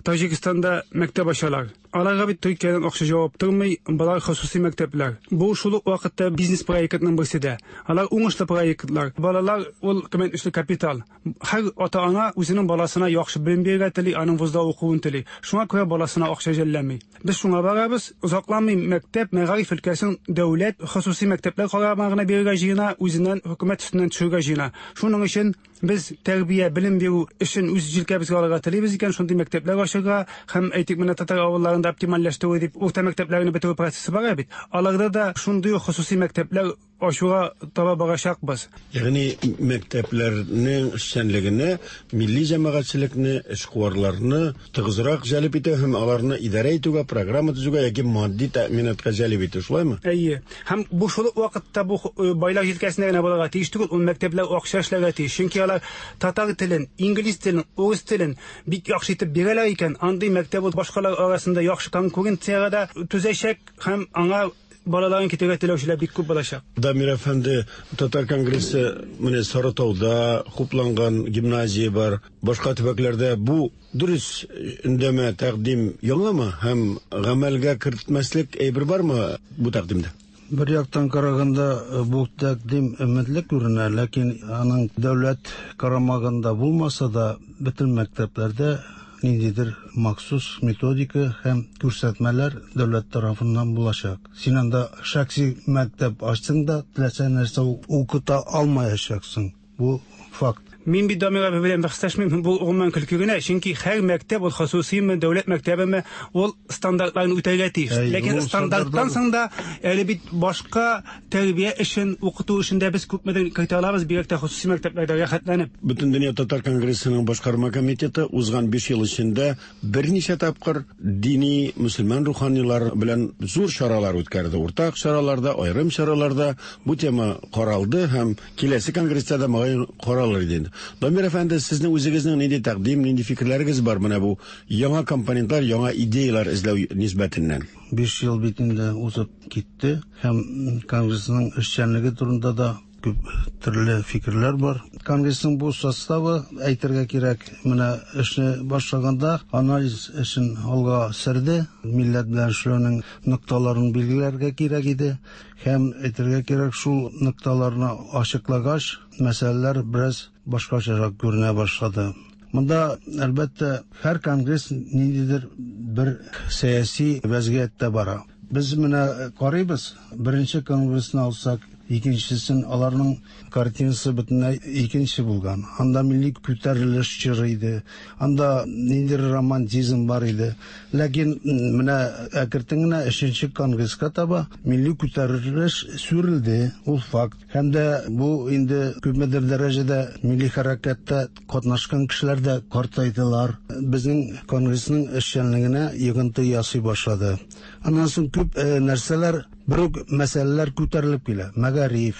Таҗикстанда мәктәп ачалар. Аларга бит Төркиядән акча җавап тормый, болар хосусый мәктәпләр. Бу шул ук вакытта бизнес проектның берсе дә. Алар уңышлы проектлар. Балалар ул кыйммәтле капитал. Һәр ата-ана үзенең баласына яхшы белем бирергә тели, аның вузда укуын тели. Шуңа күрә баласына акча жәлләми. Без шуңа барабыз, озакламый мәктәп, мәгариф өлкәсен дәүләт хосусый мәктәпләр карамагына бирергә җыена, үзеннән хөкүмәт өстеннән төшерергә җыена. Шуның өчен без тәрбия, белем бирү эшен үз җилкәбезгә алырга телибез икән, шундый мәктәпләр ачырга һәм әйтик менә татар авылларында оптимальләштерү дип урта мәктәпләрне бетерү процессы бара бит. Аларда да шундый ук хосусый мәктәпләр ачуга таба барачакбыз. Ягъни мәктәпләрнең эшчәнлегенә милли җәмәгатьчелекне, эшкуарларны тыгызрак җәлеп итү һәм аларны идарә итүгә, программа төзүгә яки матди тәэминатка җәлеп итү, шулаймы? Әйе. Һәм бу шул ук вакытта бу байлар җилкәсендә генә булырга тиеш түгел, ул мәктәпләр акча эшләргә тиеш. Чөнки алар татар телен, инглиз телен, урыс телен бик яхшы итеп бирәләр икән, андый мәктәп ул башкалар арасында яхшы конкуренциягә дә түзәчәк һәм аңа балаларын китергә теләүчеләр бик күп булачак. Дамир әфәнде, Татар конгрессы менә Сарытауда хупланган гимназия бар, башка төбәкләрдә бу дөрес өндәмә тәкъдим яңамы һәм гамәлгә кертмәслек әйбер бармы бу тәкъдимдә? Бер яктан караганда бу тәкъдим өметле күренә, ләкин аның дәүләт карамагында булмаса да, бөтен мәктәпләрдә ниндидер махсус методика һәм күрсәтмәләр дәүләт тарафыннан булачак. Син анда шәхси мәктәп ачсаң да, теләсә нәрсә укыта алмаячаксың. Бу факт. Мин бит Дамир абый белән бәхәсләшмим, бу гомумән көлке генә, чөнки һәр мәктәп ул хосусыймы, дәүләт мәктәбеме, ул стандартларны үтәргә тиеш. Ләкин стандарттан соң да әле бит башка тәрбия эшен, укыту эшендә без күпмедер кертә алабыз, бигрәк тә хосусый мәктәпләрдә рәхәтләнеп. Бөтендөнья татар конгрессының башкарма комитеты узган биш ел эчендә берничә тапкыр дини мөселман руханилар белән зур чаралар үткәрде. Уртак чараларда, аерым чараларда бу тема каралды һәм киләсе конгресста да мөгаен каралыр иде. Дамир әфәнде, сезнең үзегезнең нинди тәкъдим, нинди фикерләрегез бар менә бу яңа компонентлар, яңа идеялар эзләү нисбәтеннән? Биш ел бит инде узып китте һәм конгрессның эшчәнлеге турында да күп төрле фикерләр бар. Конгрессның бу составы, әйтергә кирәк, менә эшне башлаганда анализ эшен алга сөрде, милләт белән эшләүнең нокталарын билгеләргә кирәк иде һәм әйтергә кирәк, шул нокталарны ачыклагач, мәсьәләләр бераз башкачарак күренә башлады. Монда, әлбәттә, һәр конгресс ниндидер бер сәяси вәзгыятьтә бара. Без менә карыйбыз, беренче конгрессны алсак, икенчесен, аларның картинасы бөтенләй икенче булган. Анда милли күтәрелеш чоры иде, анда ниндидер романтизм бар иде. Ләкин менә әкертен генә өченче конгресска таба милли күтәрелеш сүрелде, ул факт. Һәм дә бу инде күпмедер дәрәҗәдә милли хәрәкәттә катнашкан кешеләр дә картайдылар. Безнең конгрессның эшчәнлегенә йогынты ясый башлады. Аннан соң күп нәрсәләр, бер үк мәсьәләләр күтәрелеп килә. Мәгариф,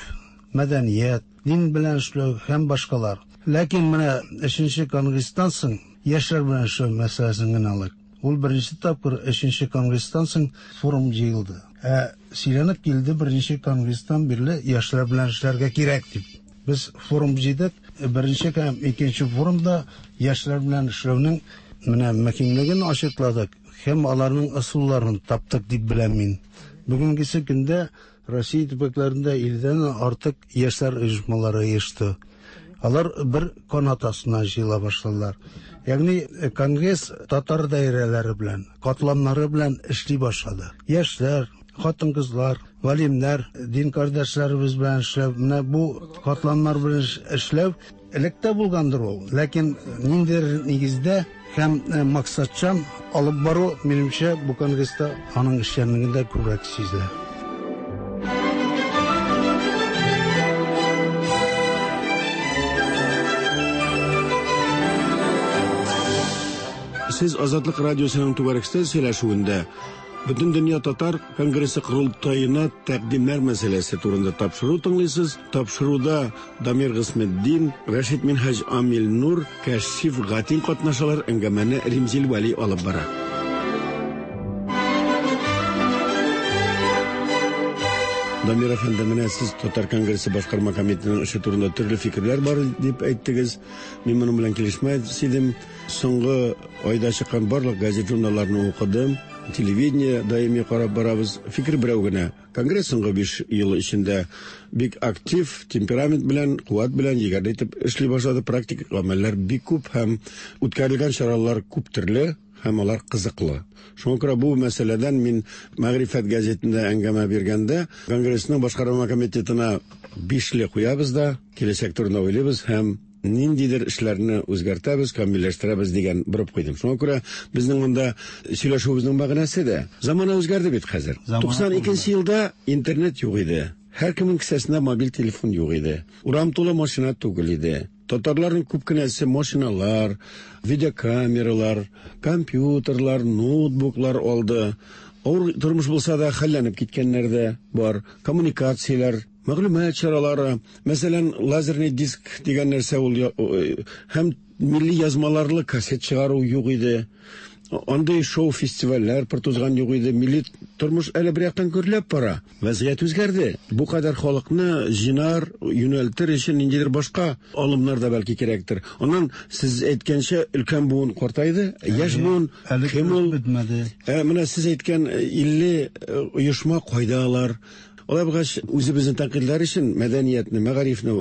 мәдәният, дин белән эшләү һәм башкалар. Ләкин менә өченче конгресстан соң яшьләр белән эшләү мәсьәләсен генә алыйк. Ул беренче тапкыр өченче конгресстан соң форум җыелды. Ә сөйләнеп килде беренче конгресстан бирле яшьләр белән эшләргә кирәк дип. Без форум җыйдык. Беренче һәм икенче форумда яшьләр белән эшләүнең менә мөһимлеген ачыкладык һәм аларның ысулларын таптык дип беләм мин. Бүгенгесе көндә Россия төбәкләрендә илледән артык яшьләр оешмалары оешты. Алар бер канат астына җыела башладылар. Ягъни конгресс татар даирәләре белән, катламнары белән эшли башлады. Яшьләр, хатын-кызлар, галимнәр, дин кардәшләребез белән эшләү, менә бу катламнар белән эшләү элек тә булгандыр ул. Ләкин ниндидер нигездә һәм максатчан алып бару, минемчә, бу конгресста аның эшчәнлегендә күбрәк сизелә. Сез Азатлык радиосының түгәрәк өстәл сөйләшүендә Бөтендөнья татар конгрессы корылтаена тәкъдимнәр мәсьәләсе турында тапшыру тыңлыйсыз. Тапшыруда Дамир Гысметдин, Рәшит Минһаҗ Амил Нур, Кәшиф Гатин катнашалар. Әңгәмәне Римзил Вәли алып бара. Дамир әфәнде, менә сез Татар конгрессы башкарма комитетының эше турында төрле фикерләр бар дип әйттегез. Мин моның белән килешмәс идем. Соңгы айда чыккан барлык газет журналларны укыдым. Телевидение даими карап барабыз. Фикер берәү генә. Конгресс соңгы биш ел эчендә бик актив, темперамент белән, куәт белән егәрле итеп эшли башлады. Практик гамәлләр бик күп һәм үткәрелгән чаралар күп төрле һәм алар кызыклы. Шуңа күрә бу мәсьәләдән мин Мәгърифәт газетында әңгәмә биргәндә Конгрессның башкарма комитетына бишле куябыз да, киләчәк турында уйлыйбыз һәм ниндидер эшләрне үзгәртәбез, камилләштерәбез дигән борып куйдым. Шуңа күрә безнең монда сөйләшүебезнең мәгънәсе дә замана үзгәрде бит хәзер. туксан икенче елда интернет юк иде. Һәркемнең кесәсендә мобиль телефон юк иде. Урам тулы машина түгел иде. Татарларның күп кенәсе машиналар, видеокамералар, компьютерлар, ноутбуклар алды. Авыр тормыш булса да хәлләнеп киткәннәр дә бар. Коммуникацияләр, мәгълүмат чаралары, мәсәлән, лазерный диск дигән нәрсә ул һәм милли язмаларлы кассет чыгару юк иде. Андый шоу-фестивальләр пыр тузган юк иде. Милли тормыш әле бер яктан гөрләп бара. Вазгыять үзгәрде. Бу кадәр халыкны җыйнар, юнәлтер өчен ниндидер башка алымнар да бәлки кирәктер. Аннан сез әйткәнчә өлкән буын картайды, яшь буын кем ул? Ә менә сез әйткән илле оешма кайда алар? Алай булгач, үзебезнең тәнкыйтьләр өчен мәдәниятне, мәгарифне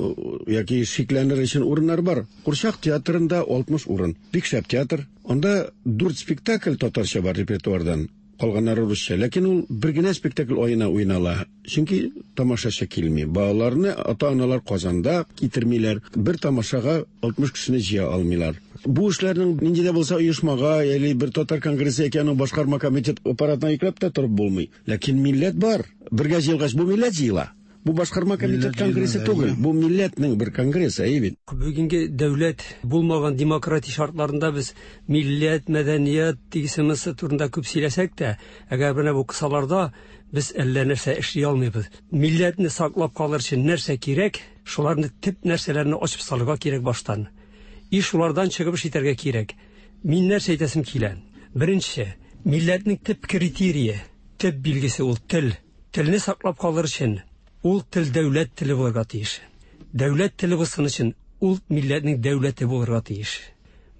яки шикләнер өчен урыннар бар. Курчак театрында алтмыш урын. Бик шәп театр. Анда дүрт спектакль татарча бар репертуардан. Калганнары русча. Ләкин ул бер генә спектакль аена уйнала. Чөнки тамашачы килми. Балаларны ата-аналар Казанда китермиләр. Бер тамашага алтмыш кешене җыя алмыйлар. Бу эшләрнең нинди дә булса оешмага, яли бер татар конгрессы яки аның башкарма комитет аппаратына йөкләп тә торып булмый. Ләкин милләт бар. Бергә җыелгач, бу милләт җыела. Бу башкарма комитет конгрессы түгел, бу милләтнең бер конгрессы, әйе бит. Бүгенге дәүләт булмаган демократия шартларында без милләт, мәдәният дигәнебез турында күп сөйләсәк тә, әгәр менә бу кысаларда без әллә нәрсә эшли алмыйбыз. Милләтне саклап калыр өчен нәрсә кирәк, шуларны төп нәрсәләрне ачып салырга кирәк баштан. И шулардан чыгып эш итәргә кирәк. Мин нәрсә әйтәсем килә? Беренче, милләтнең төп критерие, төп билгесе ул тел. Телне саклап калыр өчен ул тел дәүләт теле булырга тиеш. Дәүләт теле булсын өчен ул милләтнең дәүләте булырга тиеш.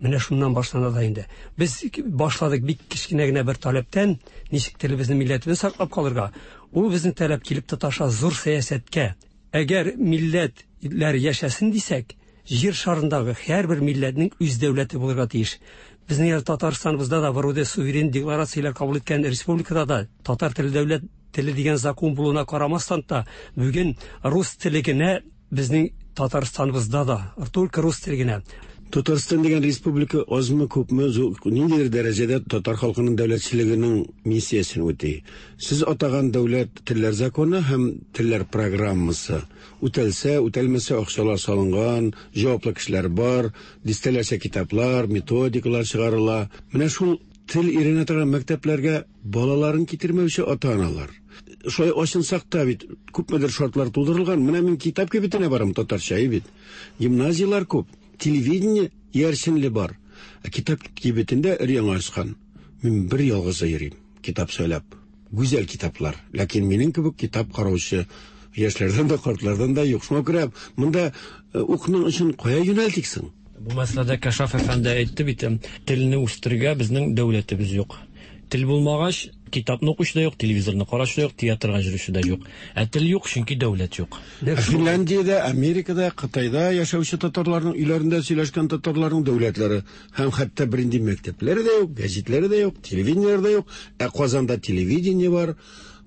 Менә шуннан башлана да инде. Без башладык бик кечкенә генә бер таләптән, ничек телебезне, милләтебезне саклап калырга. Ул безнең таләп килеп тоташа зур сәясәткә. Әгәр милләтләр яшәсен дисәк, җир шарындагы һәрбер милләтнең үз дәүләте булырга тиеш. Безнең Татарстаныбызда да вроде суверен декларацияләр кабул иткән республикада да татар теле дәүләт теле дигән закон булуына карамастан та бүген рус теле генә безнең Татарстаныбызда да, только рус теле генә. Татарстан дигән республика азмы күпме ниндидер дәрәҗәдә татар халкының дәүләтчелегенең миссиясен үти. Сез атаган дәүләт телләр законы һәм телләр программасы үтәлсә, үтәлмәсә акчалар салынган, җаваплы кешеләр бар, дистәләрчә китаплар, методикалар чыгарыла. Менә шул тел өйрәнә торган мәктәпләргә балаларын китермәүче ата-аналар. Шулай ачынсак та бит күпмедер шартлар тудырылган. Менә мин китап кибетенә барам татарча бит. Гимназияләр күп, телевидение ярсенле бар. Ә китап кибетендә өр-яңа ачкан. Мин бер ялгызы йөрим китап сөйләп. Гүзәл китаплар. Ләкин минем кебек китап караучы яшьләрдән дә, картлардан да юк. Шуңа күрә монда укның өчен кая юнәлтиксең? Бу мәсьәләдә Кәшаф әфәнде әйтте бит, телне үстерергә безнең дәүләтебез юк. Тел булмагач, Китапны укучы да юк, телевизорны караучы да юк, театрга йөрүче дә юк. Ә тел юк, чөнки дәүләт юк. Финляндиядә, Америкада, Кытайда яшәүче татарларның өйләрендә сөйләшкән татарларның дәүләтләре һәм хәтта бернинди мәктәпләре дә юк, гәзитләре дә юк, телевидениеләре дә юк. Ә Казанда телевидение бар,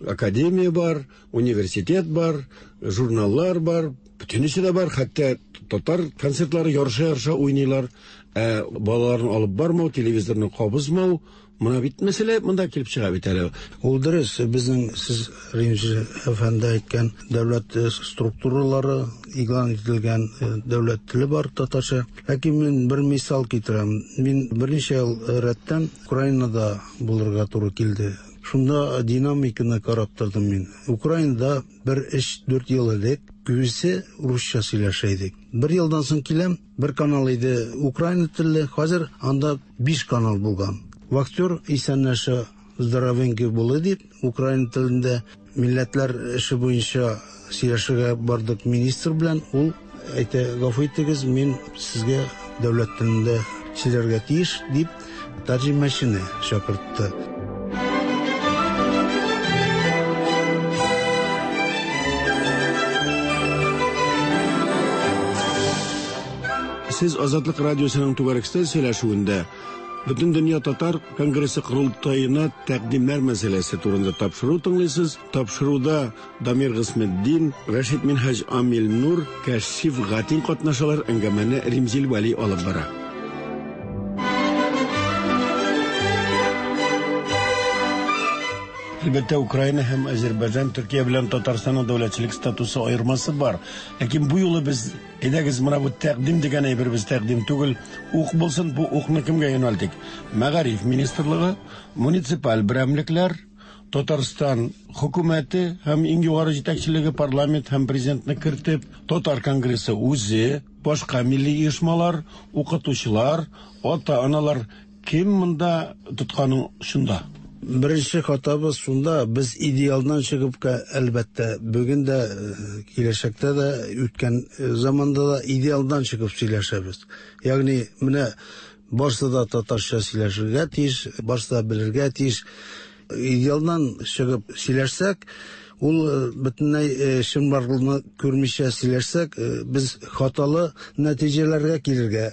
академия бар, университет бар, журналлар бар, бөтенесе дә бар, хәтта татар концертлары ярыша-ярыша уйныйлар. Ә балаларны алып бармау, телевизорны кабызмау, мына бит мәсьәлә монда килеп чыга бит әле. Ул дөрес, безнең сез Римзил әфәнде әйткән дәүләт структуралары игълан ителгән дәүләт теле бар татарча. Ләкин мин бер мисал китерәм. Мин берничә ел рәттән Украинада булырга туры килде. Шунда динамиканы карап тордым мин. Украинада бер өч-дүрт ел элек күбесе русча сөйләшә идек. Бер елдан соң киләм, бер канал иде украина телле, хәзер анда биш канал булган. Вахтер исәнләшә здоровенький булды дип, украина телендә милләтләр эше буенча сөйләшергә бардык министр белән, ул әйтә, гафу итегез, мин сезгә дәүләт телендә сөйләргә тиеш дип тәрҗемәчене чакыртты. Сез Азатлык радиосының түгәрәк өстәл сөйләшүендә Бөтендөнья татар конгрессы корылтаена тәкъдимнәр мәсьәләсе турында тапшыру тыңлыйсыз. Тапшыруда Дамир Гысметдин, Рәшит Минһаҗ Амил Нур, Кәшиф Гатин катнашалар. Әңгәмәне Римзил Вәли алып бара. Әлбәттә, Украина һәм Азербайҗан, Төркия белән Татарстанның дәүләтчелек статусы аермасы бар. Ләкин бу юлы без әйдәгез менә бу тәкъдим дигән әйбер без тәкъдим түгел, ук булсын, бу укны кемгә юнәлтик? Мәгариф министрлыгы, муниципаль берәмлекләр, Татарстан хөкүмәте һәм иң югары җитәкчелеге парламент һәм президентны кертеп, Татар конгрессы үзе, башка милли оешмалар, укытучылар, ата-аналар кем монда тотканың шунда? Беренче хатабыз шунда, без идеалдан чыгып, әлбәттә, бүген дә, киләчәктә дә, үткән заманда да идеалдан чыгып сөйләшәбез. Ягъни менә барысы да татарча сөйләшергә тиеш, барысы да белергә тиеш. Идеалдан чыгып сөйләшсәк, ул бөтенләй чынбарлыкны күрмичә сөйләшсәк, без хаталы нәтиҗәләргә килергә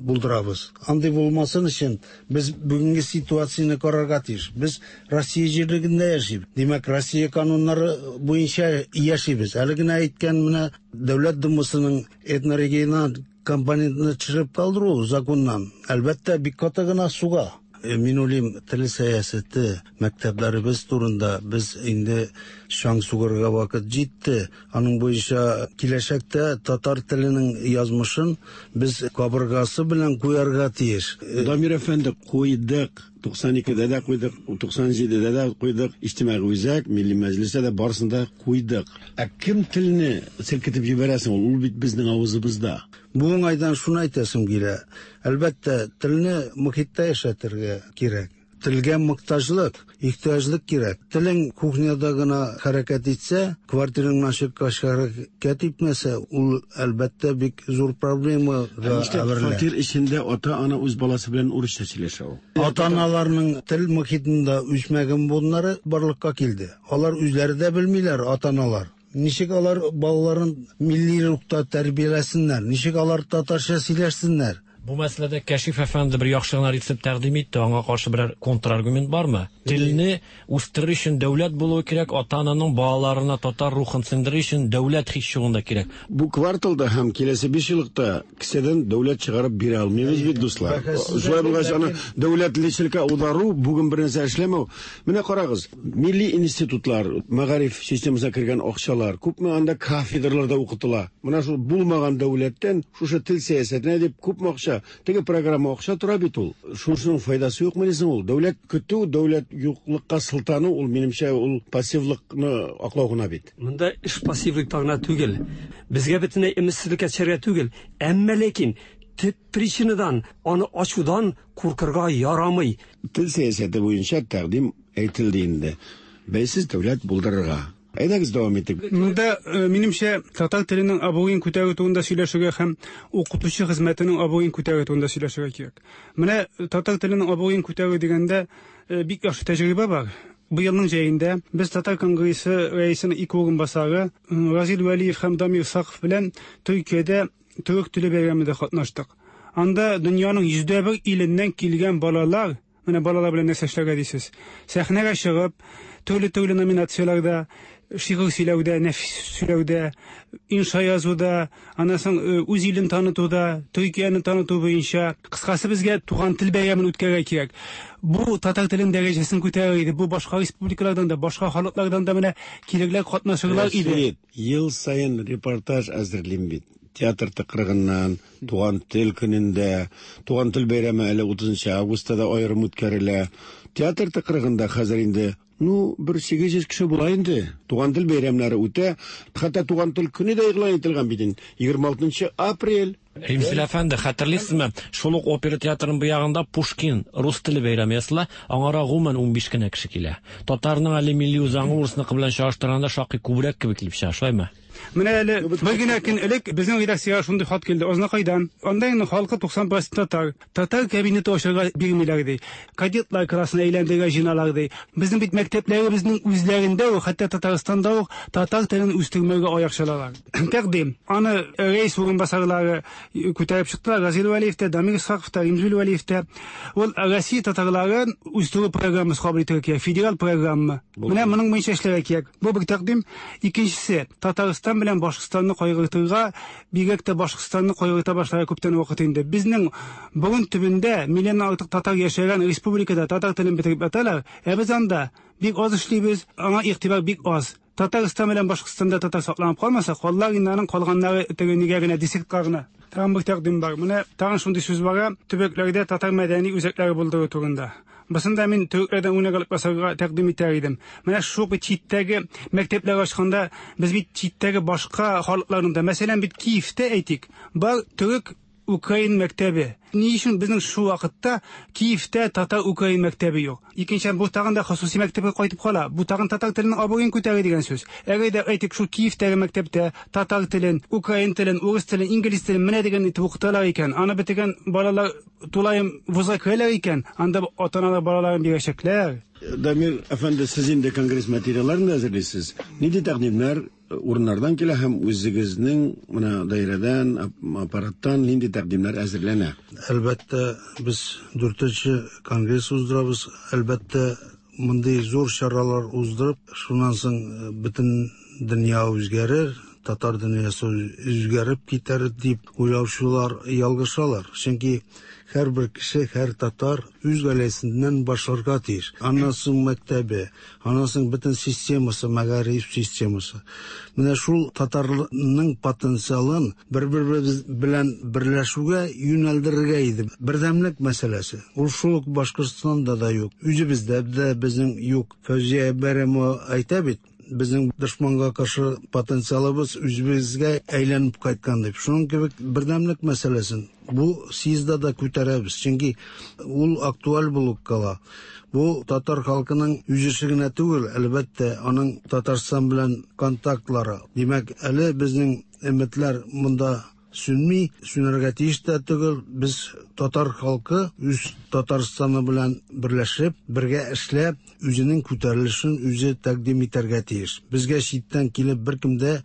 булдырабыз. Андый булмасын өчен без бүгенге ситуацияне карарга тиеш. Без Россия җирлегендә яшибез. Димәк, Россия кануннары буенча яшибез. Әле генә әйткән менә Дәүләт Думасының этнорегиональ компонентны төшереп калдыру законнан, әлбәттә, бик каты гына суга. Мин уйлыйм, тел сәясәте мәктәпләребез турында без инде чаң сугарга вакыт җитте. Аның буенча киләчәктә татар теленең язмышын без кабыргасы белән куярга тиеш. Дамир әфәнде, куйдык. туксан икедә дә куйдык, туксан җидедә дә куйдык, Иҗтимагый үзәк, Милли мәҗлестә дә барысын да куйдык. Ә кем телне селкетеп җибәрәсең ул? Ул бит безнең авызыбызда. Бу уңайдан шуны әйтәсем килә. Әлбәттә, телне мохиттә яшәтергә кирәк. Телгә мохтаҗлык, ихтыяҗлык кирәк. Телең кухняда гына хәрәкәт итсә, квартираңнан чыккач хәрәкәт итмәсә, ул әлбәттә бик зур проблемага әверелә. Фатир эчендә ата-ана үз баласы белән урысча сөйләшә ул. Ата-аналарның тел мохитында үсмәгән буыннары барлыкка килде. Алар үзләре дә белмиләр, ата-аналар. Ничек алар балаларын милли рухта тәрбияләсеннәр, ничек алар татарча сөйләшсеннәр? Бу мәсьәләдә Кәшиф әфәнде бер яхшы гына рецепт тәкъдим итте, аңа каршы берәр контраргумент бармы? Телне үстерер өчен дәүләт булуы кирәк, ата-ананың балаларына татар рухын сеңдерер өчен дәүләт һич югында кирәк. Бу кварталда һәм киләсе биш еллыкта кесәдән дәүләт чыгарып бирә алмыйбыз бит, дуслар. Шулай булгач, аны дәүләтлеккә аудару бүген бер нәрсә эшләмәү. Менә карагыз, милли институтлар, мәгариф системасына кергән акчалар, күпме анда кафедраларда укытыла. Менә шул булмаган дәүләттән шушы тел сәясәтенә дип күпме акча, теге программа акча тора бит ул. Шушының файдасы юкмы дисең ул? Дәүләт көтү, дәүләт юклыкка сылтану, ул минемчә ул пассивлыкны аклау гына бит. Монда эш пассивлыкта гына түгел. Безгә бөтенләй өметсезлеккә төшәргә түгел. Әмма ләкин төп причинадан, аны ачудан куркырга ярамый. Тел сәясәте буенча тәкъдим әйтелде инде. Бәйсез дәүләт булдырырга. Әйдәгез дәвам итик. Монда минемчә татар теленең абруен күтәрү турында сөйләшергә һәм укытучы хезмәтенең абруен күтәрү турында сөйләшергә кирәк. Менә татар теленең абруен күтәрү дигәндә бик яхшы тәҗрибә бар. Быелның җәендә без Татар конгрессы рәисенең ике урынбасары Разил Вәлиев һәм Дамир Саков белән Төркиядә төрек теле бәйрәмендә катнаштык. Анда дөньяның йөздә бер иленнән килгән балалар, менә балалар белән нәрсә эшләргә дисез. Сәхнәгә чыгып, төрле-төрле номинацияләрдә, шигырь сөйләүдә, нәфис сөйләүдә, инша язуда, аннан соң үз илен танытуда, Төркияне таныту буенча, кыскасы безгә туган тел бәйрәмен үткәрергә кирәк. Бу татар телен дәрәҗәсен күтәрер иде. Бу башка республикалардан да, башка халыклардан да менә килерләр, катнашырлар иде. Ел саен репортаж әзерлим бит. Театр тыкрыгыннан, туган тел көнендә, туган тел бәйрәме әле утызынчы августта да аерым үткәрелә. Театр тыкрыгында хәзер инде, ну, бер сигез йөз кеше була инде. Туган тел бәйрәмнәре үтә. Хәтта туган тел көне дә игълан ителгән бит инде. егерме алтынчы апрель. Римзил әфәнде, хәтерлисезме? Шул ук опера театрының бу ягында Пушкин рус теле бәйрәме ясала, аңара гомумән унбиш кенә кеше килә. Татарның әле милли үзаңы урысныкы белән чагыштырганда шактый күбрәк кебек килеп чыга, шулаймы? Менә әле бер генә көн элек безнең редакциягә шундый хат килде. Азнакайдан. Анда инде халкы туксан процент татар. Татар кабинеты ачарга бирмиләр ди. Кадетлар классына әйләндерергә җыеналар ди. Безнең бит мәктәпләребезнең үзләрендә үк, хәтта Татарстанда ук татар телен үстермәгә аяк чалалар. Тәкъдим. Аны рәис урынбасарлары күтәреп чыктылар. Разил Вәлиев тә, Дамир Исхаков та, Римзил Вәлиев тә. Ул Россия татарларын үстерү программасы кабул итәргә кирәк, федераль программа. Менә моның буенча эшләргә кирәк. Бу бер тәкъдим. Икенчесе, Татарстан белән Башкортстанны кайгыртырга, бигрәк тә Башкортстанны кайгырта башларга күптән вакыт инде. Безнең борын төбендә миллионнан артык татар яшәгән республикада татар телен бетереп яталар, ә без анда бик аз эшлибез, аңа игътибар бик аз. Татарстан белән Башкортстанда татар сакланып калмаса, каллар инде аның калганнары теге нигә генә десятка гына. Тагын бер тәкъдим бар. Менә тагын шундый сүз бар, төбәкләрдә татар мәдәни үзәкләре булдыру турында. Басында мин төрекләрдән үрнәк алып басарга тәкъдим итәр идем. Менә шул бит читтәге мәктәпләр ачканда без бит читтәге башка халыкларның да, мәсәлән, бит Киевтә әйтик, бар төрек украин мәктәбе. Ни өчен безнең шул вакытта Киевтә татар украин мәктәбе юк? Икенчедән, бу тагын да хосуси мәктәпкә кайтып кала. Бу тагын татар теленең абруен күтәрә дигән сүз. Әгәр дә әйтик, шул Киевтәге мәктәптә татар телен, украин телен, урыс телен, инглиз телен менә дигән итеп укыталар икән, аны бетергән балалар тулаем вузга керәләр икән, анда ата-аналар балаларын бирәчәкләр. Дамир әфәнде, сез инде конгресс материалларын да әзерлисез. Нинди тәкъдимнәр урыннардан килә һәм үзегезнең менә даирәдән, аппараттан нинди тәкъдимнәр әзерләнә? Әлбәттә, без дүртенче конгресс уздырабыз. Әлбәттә, мондый зур чаралар уздырып, шуннан соң бөтен дөнья үзгәрер, татар дөньясы үзгәреп китәр дип уйлаучылар ялгышалар. Чөнки һәрбер кеше, һәр татар үз гаиләсеннән башларга тиеш. Аннан соң мәктәбе, аннан соң бөтен системасы, мәгариф системасы. Менә шул татарның потенциалын бер-беребез белән берләшүгә юнәлдерергә иде. Бердәмлек мәсьәләсе. Ул шул ук Башкортстанда да юк. Үзебездә дә безнең юк. Фәүзия Бәйрәмова әйтә бит, безнең дошманга каршы потенциалыбыз үзебезгә әйләнеп кайткан дип. Шуның кебек бердәмлек мәсьәләсен бу съездда да күтәрәбез, чөнки ул актуаль булып кала. Бу татар халкының үз эше генә түгел, әлбәттә, аның Татарстан белән контактлары. Димәк, әле безнең өметләр монда сүнми, сүнәргә тиеш тә түгел. Без татар халкы үз Татарстаны белән берләшеп, бергә эшләп, үзенең күтәрелешен үзе тәкъдим итәргә тиеш. Безгә читтән килеп беркем дә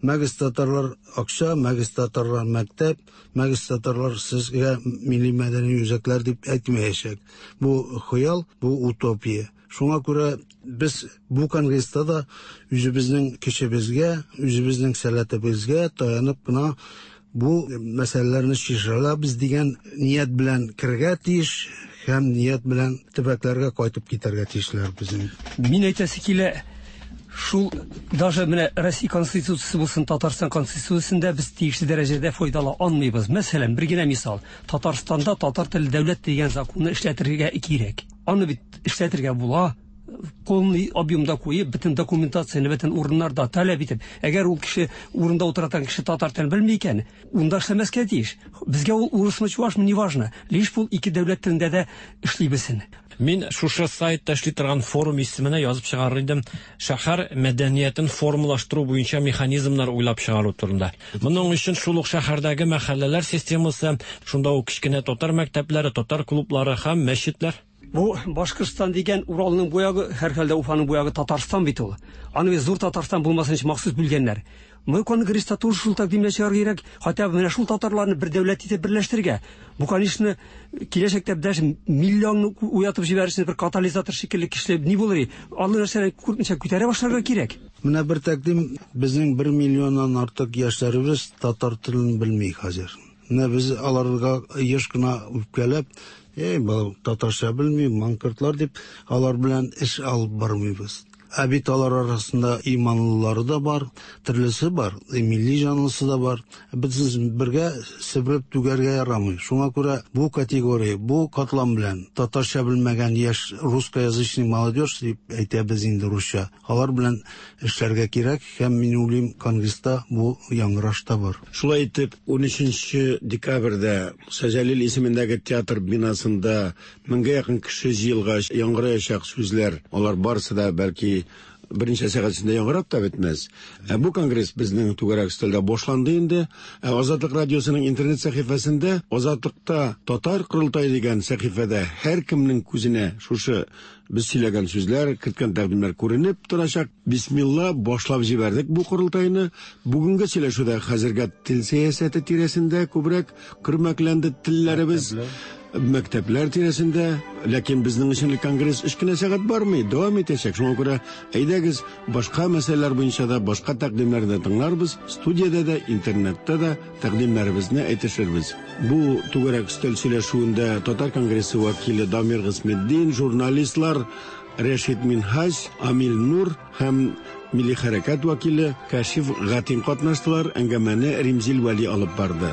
мәгез татарлар акча, мәгез татарлар мәктәп, мәгез татарлар сезгә милли мәдәни үзәкләр дип әйтмәячәк. Бу хыял, бу утопия. Шуңа күрә без бу конгресста да үзебезнең көчебезгә, үзебезнең сәләтебезгә таянып кына бу мәсьәләләрне чишә алабыз дигән ният белән керергә тиеш һәм ният белән төбәкләргә кайтып китәргә тиешләр безнең. Мин әйтәсе килә, шул даже менә Россия Конституциясе булсын, Татарстан Конституциясендә без тиешле дәрәҗәдә файдала алмыйбыз. Мәсәлән, бер генә мисал. Татарстанда татар теле дәүләт дигән законны эшләтергә кирәк. Аны бит эшләтергә була. Полный объемда куеп, бөтен документацияне, бөтен урыннарда таләп итеп, әгәр ул кеше урында утырган кеше татар телен белми икән, унда эшләмәскә тиеш. Безгә ул урысмы, чувашмы, неважно. Лишь бул ике дәүләт телендә дә эшли белсен. Мин шушы сайтта эшли торган форум исеменә язып чыгарыр идем. Шәһәр мәдәниятен формалаштыру буенча механизмнар уйлап чыгару турында. Моның өчен шул ук шәһәрдәге мәхәлләләр системасы, шунда ук кечкенә татар мәктәпләре, татар клублары һәм мәчетләр. Бу Башкортстан дигән Уралның бу ягы, һәрхәлдә Уфаның бу ягы Татарстан бит ул. Аны зур Татарстан булмасын өчен махсус бүлгәннәр. Мы конгресста тоже шул тәкъдимнәр чыгарга кирәк, хотя бы менә шул татарларны бер дәүләт итеп берләштерергә. Бу, конечно, киләчәктә даже миллионны уятып җибәрер бер катализатор шикелле кешеләр ни булыр? Алар нәрсәне күрмичә күтәрә башларга кирәк. Менә бер тәкъдим, безнең бер миллионнан артык яшьләребез татар телен белми хәзер. Менә без аларга еш кына үпкәләп, "Эй, бу татарча белми, маңкортлар" дип, алар белән эш алып бармыйбыз. Ә бит алар арасында иманлылары да бар, төрлесе бар, милли җанлысы да бар. Без бергә себереп түгәргә ярамый. Шуңа күрә бу категория, бу катлам белән татарча белмәгән яшь русскоязычный молодежь дип әйтәбез инде русча. Алар белән эшләргә кирәк һәм мин уйлыйм, конгресста бу яңгыраш та бар. Шулай итеп, ун өченче декабрьдә Муса Җәлил исемендәге театр бинасында меңгә якын кеше җыелгач, яңгыраячак сүзләр, алар барысы да бәлки берничә сәгать эчендә яңгырап та бетмәс. Ә бу конгресс безнең түгәрәк өстәлдә башланды инде. Ә Азатлык радиосының интернет сәхифәсендә Азатлыкта татар корылтае дигән сәхифәдә һәркемнең күзенә шушы без сөйләгән сүзләр, керткән тәкъдимнәр күренеп торачак. Бисмилла, башлап җибәрдек бу корылтайны. Бүгенге сөйләшүдә хәзергә тел сәясәте тирәсендә күбрәк көрмәкләнде телләребез. Мәктәпләр тирәсендә, ләкин безнең өчен конгресс өч кенә сәгать бармый, дәвам итәчәк. Шуңа күрә әйдәгез, башка мәсьәләләр буенча да, башка тәкъдимнәрне дә тыңларбыз, студиядә дә, интернетта да тәкъдимнәребезне әйтешербез. Бу түгәрәк өстәл сөйләшүендә Татар конгрессы вәкиле Дамир Гыйсметдин, журналистлар Рәшит Минһаҗ, Амил Нур һәм Милли хәрәкәт вәкиле Кашиф Гатин катнаштылар. Әңгәмәне Римзил Вәли алып барды.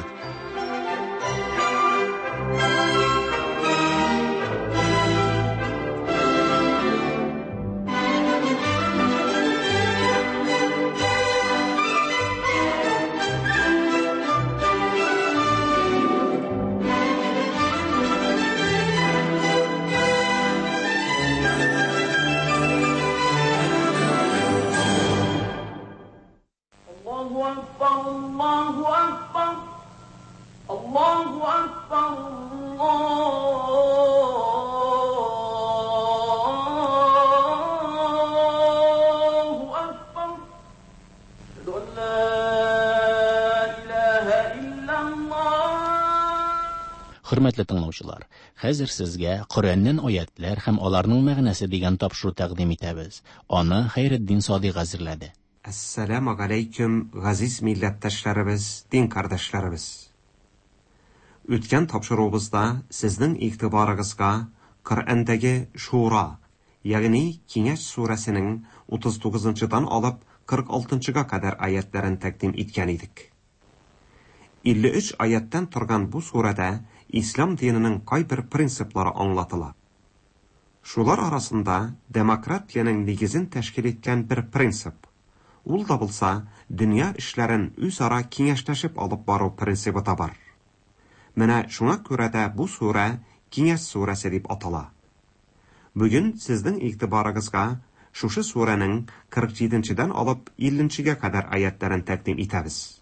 Хөрмәтле тыңлаучылар, хәзер сезгә Коръәннән аятлар һәм аларның мәгънәсе дигән тапшыру тәкъдим итәбез. Аны Хәйретдин Садыйк әзерләде. Әссәламу алейкум, газиз милләттәшләребез, дин кардәшләребез. Үткән тапшыруыбызда сезнең игътибарыгызга Коръәндәге Шура, ягъни Киңәш сүрәсенең утыз тугызынчыдан алып кырык алтынчыга кадәр аятларын тәкъдим иткән идек. Илле өч аяттан торган бу сүрәдә Ислам диненең кайбер принциплары аңлатыла. Шулар арасында демократиянең нигезен тәшкил иткән бер принцип. Ул да булса, дөнья эшләрен үзара киңәшләшеп алып бару принцибы да бар. Менә шуңа күрә дә бу сүрә Киңәш сүрәсе дип атала. Бүген сезнең игътибарыгызга шушы сүрәнең кырык җиденчедән алып илленчегә кадәр аятларын тәкъдим итәбез.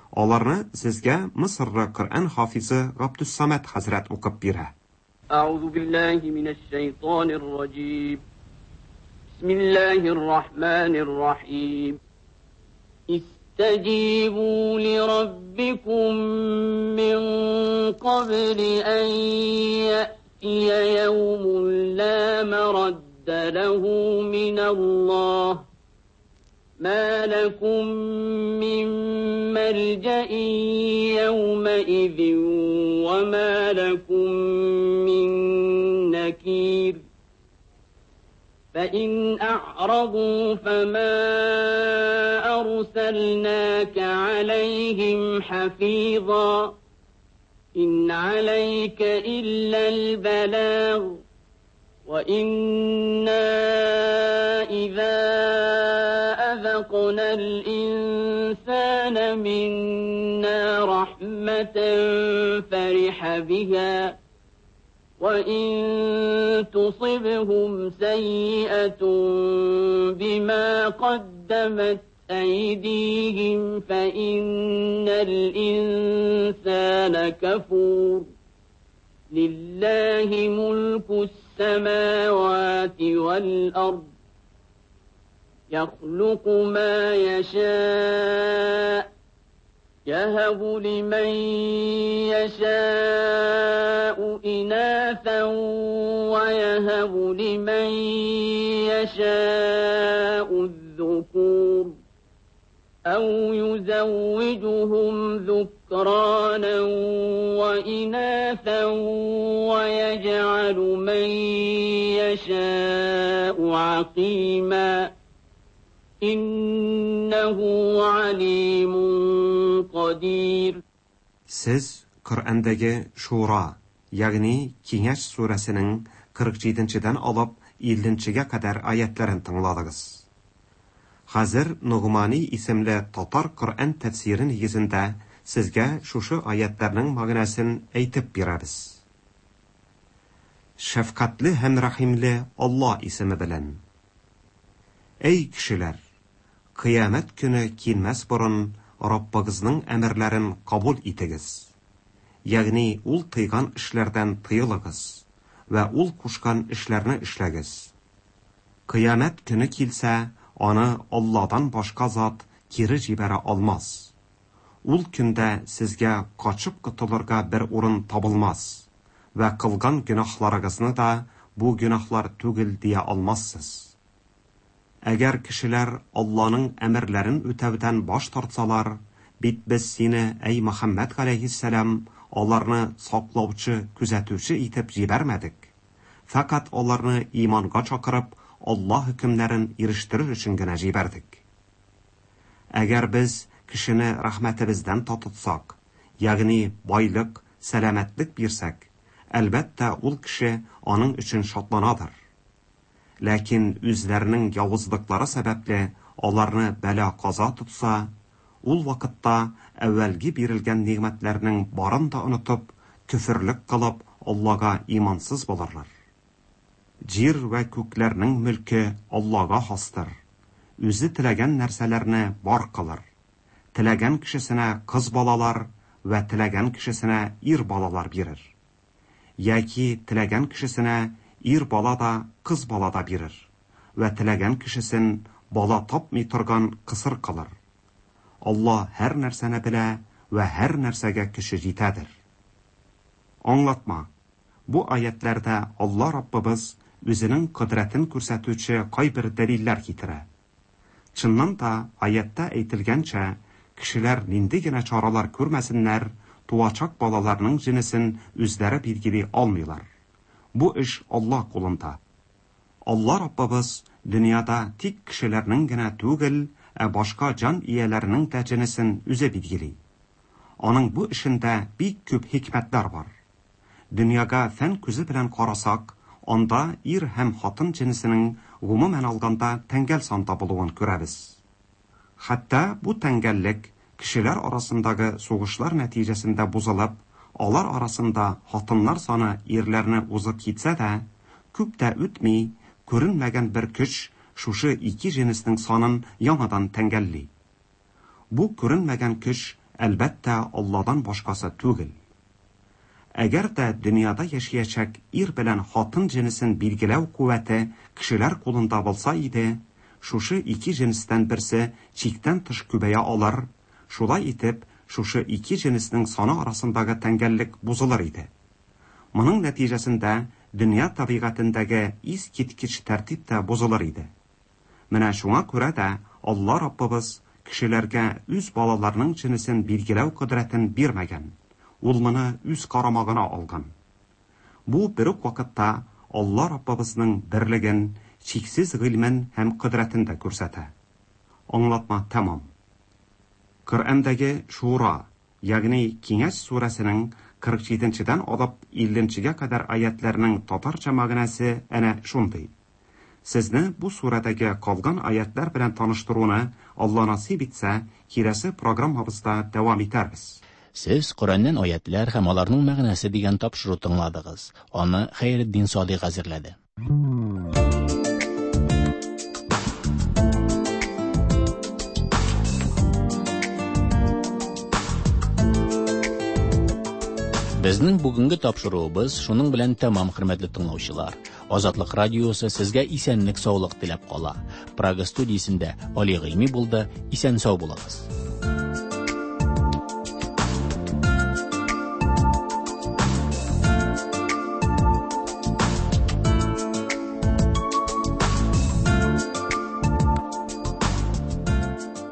Аларны сезгә Мисырлы Коръән хафизы Габдусsamad хәзрәт укып бирә. Әгъузу биллаһи минәш шайтанир раҗим. Бисмиллаһир рахманир рахим. Истаҗибу лираббикум мин кабли ан яътия яумун ла марадда лаху миналлаһ. ما لكم من ملجأ يومئذ وما لكم من نكير فإن أعرضوا فما أرسلناك عليهم حفيظا إن عليك إلا البلاغ وإنا إذا أذقنا الإنسان منا رحمة فرح بها وإن تصبهم سيئة بما قدمت أيديهم فإن الإنسان كفور. لله ملك السماوات والأرض يخلق ما يشاء يهب لمن يشاء إناثا ويهب لمن يشاء الذكور أو يزوجهم ذكرانا وإناثا ويجعل من يشاء عقيما إنه عليم قدير. Siz Qur'ondagi Shura, ya'ni Kengash surasining qirq yettinchidan olib ellinchiga qadar oyatlarini tingladingiz. Hozir Nug'moniy ismli tatar Qur'on tafsiri negizida sizga shushu oyatlarning ma'nosini aytib beramiz. Shafqatli ham rahimli Alloh ismi bilan. Ey kishilar, qiyomat kuni kelmas burun Robbingizning amrlarini qabul etigiz. Ya'ni ul tiygan ishlardan tiyiligiz va ul qo'shgan ishlarni ishlagiz. Qiyomat kuni kelsa, uni Allohdan boshqa zot keri jibara olmas. Ul kunda sizga qochib qutulurga bir o'rin topilmas va qilgan gunohlaringizni da bu gunohlar tugil deya olmassiz. Agar kishilar Allohning amrlarini o'tavdan bosh tortsalar, bit biz seni ey Muhammad alayhissalom ularni saqlovchi, kuzatuvchi etib jibarmadik. Faqat ularni iymonga chaqirib, Alloh hukmlarini erishtirish uchungina jibardik. Agar biz kishini rahmatimizdan totitsak, ya'ni boylik, salomatlik bersak, albatta ul kishi uning uchun shodlanadir. Lekin o'zlarining yovuzliklari sababli ularni balo qazo tutsa, ul vaqtda avvalgi berilgan ne'matlarning barini da unutib, kufrlik qilib, Allohga iymonsiz bo'larlar. Yer va ko'klarning mulki Allohga xosdir. O'zi tilagan narsalarni bor qilar. Tilagan kishisina qiz bolalar va tilagan kishisina er bolalar berir. Yoki tilagan kishisina er bola da qiz bola da berir va tilagan kishisin bola topmay turgan qisir qilar. Alloh har narsani bila va har narsaga kuchi yetadir. Anglatma. Bu oyatlarda Alloh Robbimiz o'zining qudratini ko'rsatuvchi qay bir dalillar keltiradi. Chindan da oyatda aytilgancha, kishilar nindigina choralar ko'rmasinlar, tuvachak bolalarning jinsin o'zlari belgilay olmaylar. Bu ish Alloh qo'lida. Alloh Robbimiz dunyoda tek kishilarninggina tugil, boshqa jon egalarining da jinsin o'zi belgilay. Uning bu ishinda bek ko'p hikmatlar bor. Dunyoga fan ko'zi bilan qarasak, onda er ham xotin jinsining umuman olganda tangal sonda bo'luvini ko'ramiz. Hatto bu tangallik kishilar orasidagi so'g'ishlar natijasida buzilib, ular orasida xotinlar soni erlarni o'zib ketsa-da, ko'p da o'tmay ko'rinmagan bir kuch shushu ikki jinsning sonini yangidan tangalli. Bu ko'rinmagan kuch albatta Allohdan boshqasi tugil. Agarda dunyoda yashayajak er bilan xotin jinsin belgilav quvvati kishilar qo'lida bo'lsa edi, shushu ikki jinsdan birsi chekdan tish ko'paya olar, shulay etib shushu ikki jinsning soni orasidagi tangallik buzilar edi. Buning natijasida dunyo tabiatidagi iz-ketgich tartib da buzilar edi. Mana shunga ko'ra da Alloh Robbimiz kishilarga o'z bolalarining jinsin belgilav qudratini bermagan. Ul buni o'z qaramog'ina olgan. Bu bir vaqtda Alloh Robbimizning birligini, cheksiz ilmin ham qudratini da ko'rsatadi. Anglatma tamom. Qur'ondagi Shura, ya'ni Kengash surasining qirq yettinchidan olib ellinchiga qadar oyatlarning tatarcha ma'nosi ana shunday. Sizni bu suradagi qolgan oyatlar bilan tanishtiruvni Alloh nasib etsa, kelasi programmamizda davom etamiz. Siz Qur'ondan oyatlar ham ularning ma'nosi degan topshiriq tingladingiz. Uni Xayriddin Sodiq hazırladı. Безнең бүгенге тапшыруыбыз шуның белән тәмам, хөрмәтле тыңлаучылар. Азатлык радиосы сезгә исәнлек, саулык теләп кала. Прага студиясендә Али Гыйльми булды. Исән сау булыгыз.